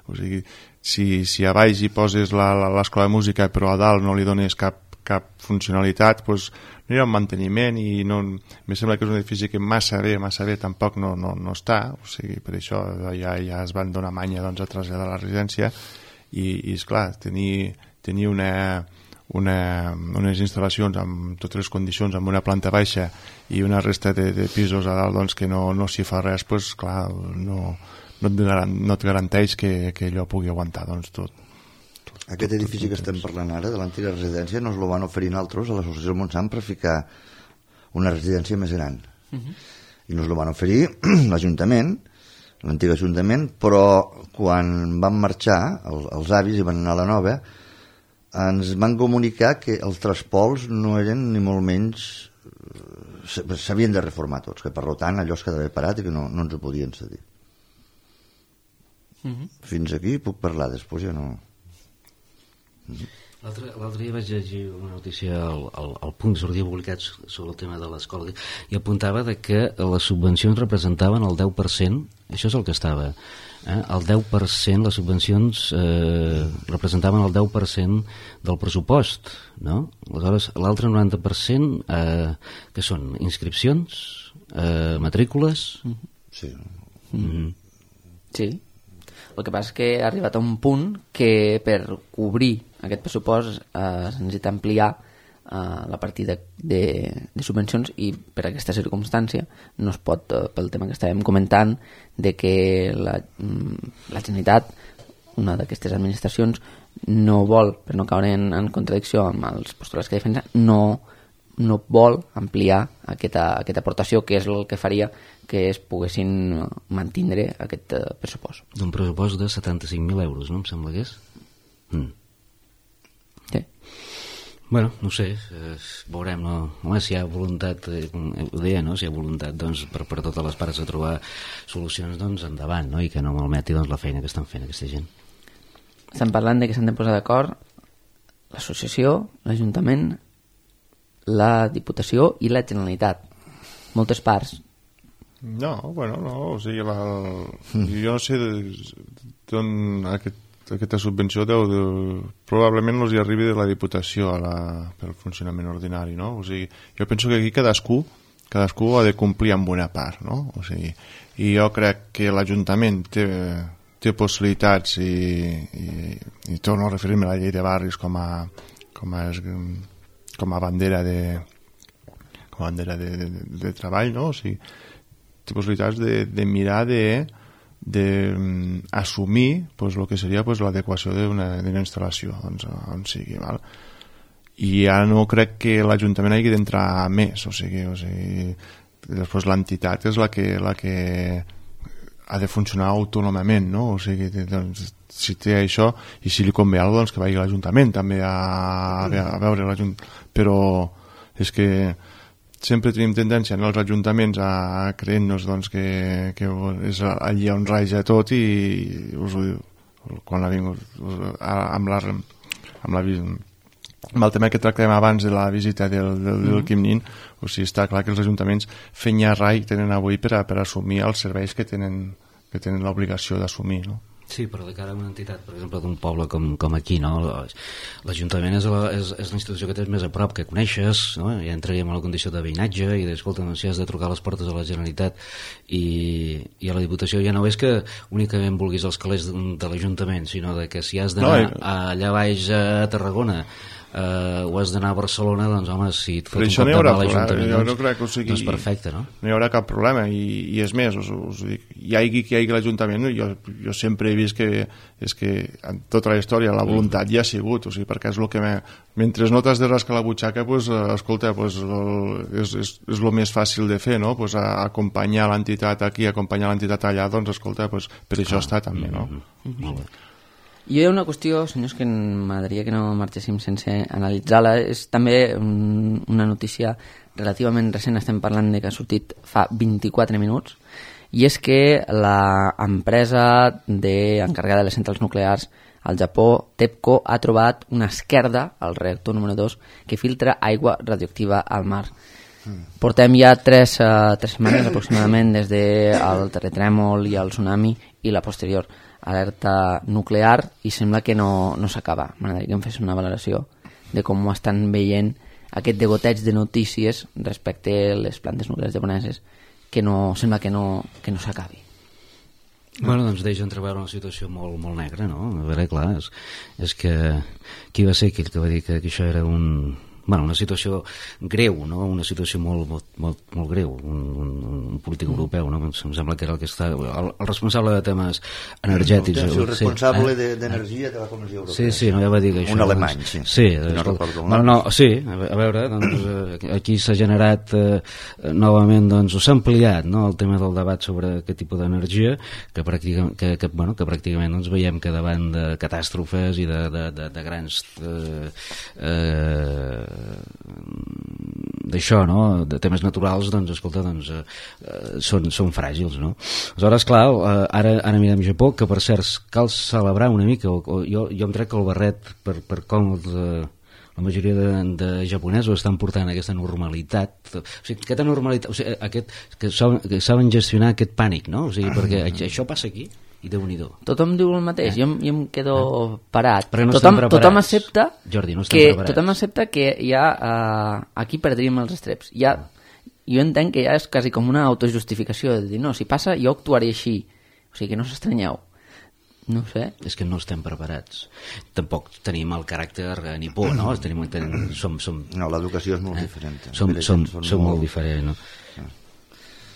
o sigui, si, si a baix hi poses l'escola de música però a dalt no li dones cap, cap funcionalitat, pues, no hi ha un manteniment i no, em sembla que és un edifici que massa bé, massa bé tampoc no, no, no està, o sigui, per això ja, ja es van donar manya doncs, a traslladar a la residència i, i esclar, tenir, tenir una Una, unes instal·lacions amb totes les condicions, amb una planta baixa i una resta de, de pisos a dalt doncs, que no, no s'hi fa res, pues, clar, no, no, et garan, no et garanteix que, que allò pugui aguantar doncs, tot, tot. Aquest tot, edifici tot, que estem parlant ara, de l'antiga residència, nos lo van oferir nosaltres a l'associació del Montsant per ficar una residència més gran. Uh-huh. I nos lo van oferir l'Ajuntament, l'antic Ajuntament, però quan van marxar, el, els avis i van anar a la nova, ens van comunicar que els traspols no eren ni molt menys, s'havien de reformar tots, que per tant allò es quedava parat i que no, no ens ho podien cedir. Mm-hmm. Fins aquí puc parlar, després ja no. Mm-hmm. L'altre dia vaig llegir una notícia al, al, al Punt, sortia publicat sobre el tema de l'escola i apuntava de que les subvencions representaven el deu per cent, això és el que estava, eh? el deu per cent, les subvencions eh, representaven el deu per cent del pressupost, no? Aleshores, l'altre noranta per cent eh, que són inscripcions, eh, matrícules... Sí. Mm-hmm. Sí. El que passa és que ha arribat a un punt que per cobrir aquest pressupost eh, es necessita ampliar eh, la partida de, de subvencions i per aquesta circumstància no es pot, eh, pel tema que estàvem comentant, de que la, la Generalitat, una d'aquestes administracions, no vol, per no caure en, en contradicció amb els postulats que defensa, no, no vol ampliar aquesta, aquesta aportació, que és el que faria que es poguessin mantindre aquest uh, pressupost. D'un pressupost de setanta-cinc mil euros, no? Em sembla que és? Mm. Sí. Bueno, no sé, eh, veurem, no? Home, si hi ha voluntat, eh, ho deia, no? Si hi ha voluntat doncs, per, per totes les parts de trobar solucions, doncs endavant, no? I que no malmeti doncs, la feina que estan fent aquesta gent. Estan parlant de que s'han de posar d'acord l'associació, l'Ajuntament, la Diputació i la Generalitat. Moltes parts. No, bueno, no, o sigui, la, jo no sé d'on aquest, aquesta subvenció deu, de, probablement els hi arribi de la Diputació a la, pel funcionament ordinari, no? O sigui, jo penso que aquí cadascú cadascú ha de complir amb una part, no? O sigui, i jo crec que l'Ajuntament té, té possibilitats i, i, i torno a referir-me a la llei de barris com a, com a, com a bandera de com a bandera de, de, de treball, no? O sigui, té possibilitats de, de mirar de, de um, assumir pues, el que seria pues, l'adequació d'una instal·lació on, on sigui, val? I ja no crec que l'Ajuntament hagi d'entrar més, o sigui, o sigui després l'entitat és la que, la que ha de funcionar autònomament, no? O sigui, doncs, si té això i si li convé alguna cosa, doncs que vagi a l'Ajuntament també a, a, a veure l'Ajuntament, però és que sempre tenim tendència en els ajuntaments a creure-nos doncs, que, que és allà on raja tot i us ho diu, quan ha vingut amb, la, amb, la, amb el tema que tractàvem abans de la visita del, del, del Quim Nin, o sigui, està clar que els ajuntaments fenya rai tenen avui per, a, per assumir els serveis que tenen, que tenen l'obligació d'assumir, no? Sí, però de cara a una entitat, per exemple, d'un poble com, com aquí, no? L'Ajuntament és, la, és, és la institució que tens més a prop, que coneixes, no? Ja entraríem a la condició de veïnatge i d'escolta, no, si has de trucar a les portes a la Generalitat i, i a la Diputació ja no és que únicament vulguis els calés de, de l'Ajuntament, sinó de que si has d'anar no, i... allà baix a Tarragona eh, o has d'anar a Barcelona, doncs home, si et fot Però un això cop no hi de haurà mà a l'Ajuntament, problema, jo no doncs, crec que ho sigui- doncs perfecte, no? no hi haurà cap problema i, i és més, us, us dic, hi hagi qui hi hagi l'Ajuntament, jo, jo sempre he vist que és que en tota la història la voluntat ja ha sigut, o sigui, perquè és el que me, mentre no t'has de rascar la butxaca, pues, eh, escolta, pues, el, és, és, és el més fàcil de fer, no? Pues, a, acompanyar l'entitat aquí, acompanyar l'entitat allà, doncs escolta, pues, per això està també, no? Mm-hmm. Molt bé. Hi ha una qüestió, senyors, que m'agradaria que no marxéssim sense analitzar-la. És també un, una notícia relativament recent, estem parlant de que ha sortit fa vint-i-quatre minuts, i és que l'empresa de, encarregada de les centrals nuclears al Japó, TEPCO, ha trobat una esquerda, al reactor número dos, que filtra aigua radioactiva al mar. Portem ja tres, uh, tres setmanes aproximadament des del terratrèmol i el tsunami i la posterior alerta nuclear, i sembla que no, no s'acaba. M'agradaria que em fes una valoració de com ho estan veient aquest degoteig de notícies respecte a les plantes nuclears japoneses, que no, sembla que no, que no s'acabi. Bueno, doncs deixa entreveure una situació molt, molt negra, no? A veure, clar, és, és que qui va ser aquell que va dir que, que això era un... Bueno, una situació greu, no? Una situació molt, molt, molt, molt greu, un, un, un polític europeu, no? Em sembla que era el que està... El, el responsable de temes energètics. El, el responsable sí, eh? d'energia de la Comissió Europea. Sí, sí, no, ja va dir que això... Un alemany, sí. Sí, no escolta, recordo el no, nom. no, sí, a veure, doncs, aquí s'ha generat eh, novament, doncs, s'ha ampliat, no?, el tema del debat sobre aquest tipus d'energia, que, pràcticament, que, que, bueno, que pràcticament doncs, veiem que davant de catàstrofes i de, de, de, de grans... Eh, eh, d'això, no?, de temes naturals, doncs, escolta, doncs, eh, són, són fràgils, no? Aleshores, clar, eh, ara, ara mirem Japó, que per cert cal celebrar una mica, o, o jo, jo em trec el barret per, per com els, eh, la majoria de, de japonesos estan portant aquesta normalitat, o sigui, aquesta normalitat, o sigui, aquest, que, saben, que saben gestionar aquest pànic, no? O sigui, perquè això passa aquí, i Déu-n'hi-do. Tothom diu el mateix, eh? jo, jo em quedo eh? parat. No tothom, tothom accepta Jordi, no que tothom accepta que ja uh, aquí perdríem els estreps. Ja, jo entenc que ja és quasi com una autojustificació de dir, no, si passa jo actuaré així, o sigui que no s'estranyeu. No ho sé. És que no estem preparats. Tampoc tenim el caràcter nipó, no? Tenim, tenim, som, som, no, l'educació és molt diferent. Som, som, som, som molt diferent, no?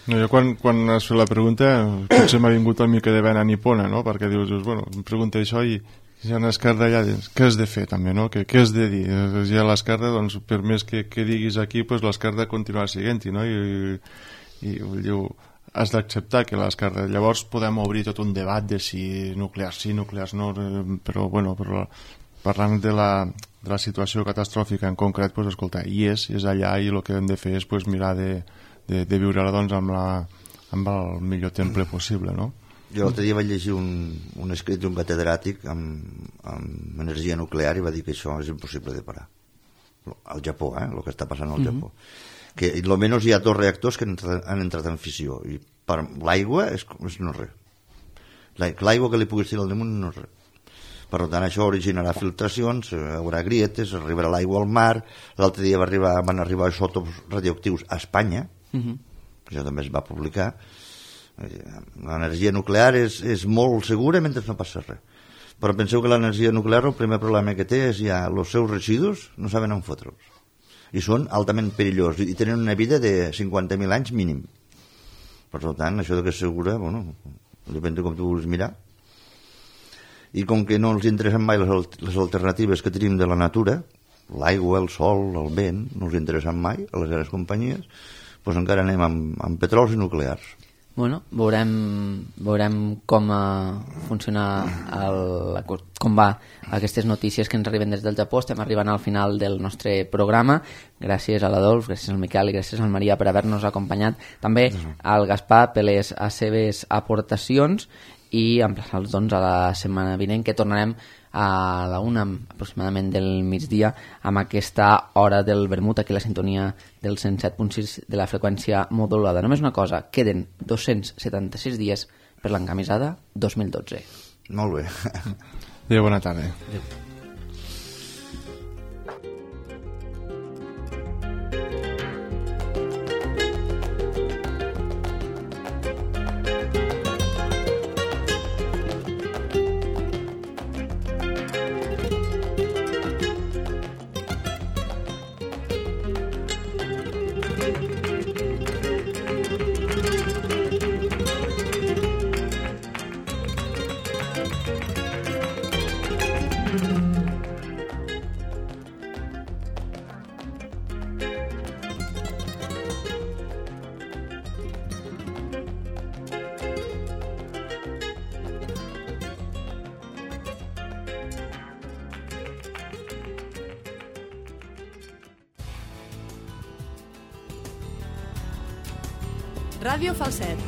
No, jo quan, quan has fet la pregunta potser m'ha vingut una mica de vena nipona, no? Perquè dius, bueno, em pregunta això i si hi ha una esquerda allà, què has de fer també, no? Què, què has de dir? Si hi ha l'esquerda, doncs per més que, que diguis aquí, pues, l'esquerda continua siguent-hi, no? I, i, i diu, has d'acceptar que l'esquerda... Llavors podem obrir tot un debat de si nuclears sí, nuclears no, però, bueno, però parlant de la, de la situació catastròfica en concret, pues, escolta, hi és, és allà i el que hem de fer és pues, mirar de de, de viure-la doncs, amb, la, amb el millor temple possible, no? Jo l'altre dia vaig llegir un, un escrit d'un catedràtic amb, amb energia nuclear i va dir que això és impossible de parar. Al Japó, eh? El que està passant al Japó. Mm-hmm. Que almenys hi ha dos reactors que han entrat, han entrat en fissió i per l'aigua és, és no res. L'aigua que li puguis tirar al damunt no és res. Per tant, això originarà filtracions, hi haurà grietes, arribarà l'aigua al mar. L'altre dia va arribar, van arribar isòtops radioactius a Espanya, mm-hmm. que això també es va publicar. L'energia nuclear és, és molt segura mentre no passa res. Però penseu que l'energia nuclear el primer problema que té és ja els seus residus no saben on fotre'ls. I són altament perillosos i tenen una vida de cinquanta mil anys mínim. Per tant, això de que és segura, bueno, depèn de com tu vulguis mirar. I com que no els interessen mai les, les alternatives que tenim de la natura, l'aigua, el sol, el vent, no els interessen mai a les grans companyies, doncs encara anem amb, amb petrols i nuclears. Bueno, veurem, veurem com uh, funciona el, com va aquestes notícies que ens arriben des del Japó. Estem arribant al final del nostre programa. Gràcies a l'Adolf, gràcies al Miquel i gràcies al Maria per haver-nos acompanyat. També al Gaspar per les seves aportacions i emplaçar-los doncs, a la setmana vinent, que tornarem a la una aproximadament del migdia amb aquesta hora del vermut aquí a la sintonia del cent set punt sis de la freqüència modulada. Només una cosa, queden dos-cents setanta-sis dies per l'encamisada dos mil dotze. Molt bé. Adéu, bona tarda. Adéu. Ràdio Falset.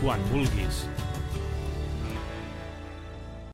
Quan vulguis.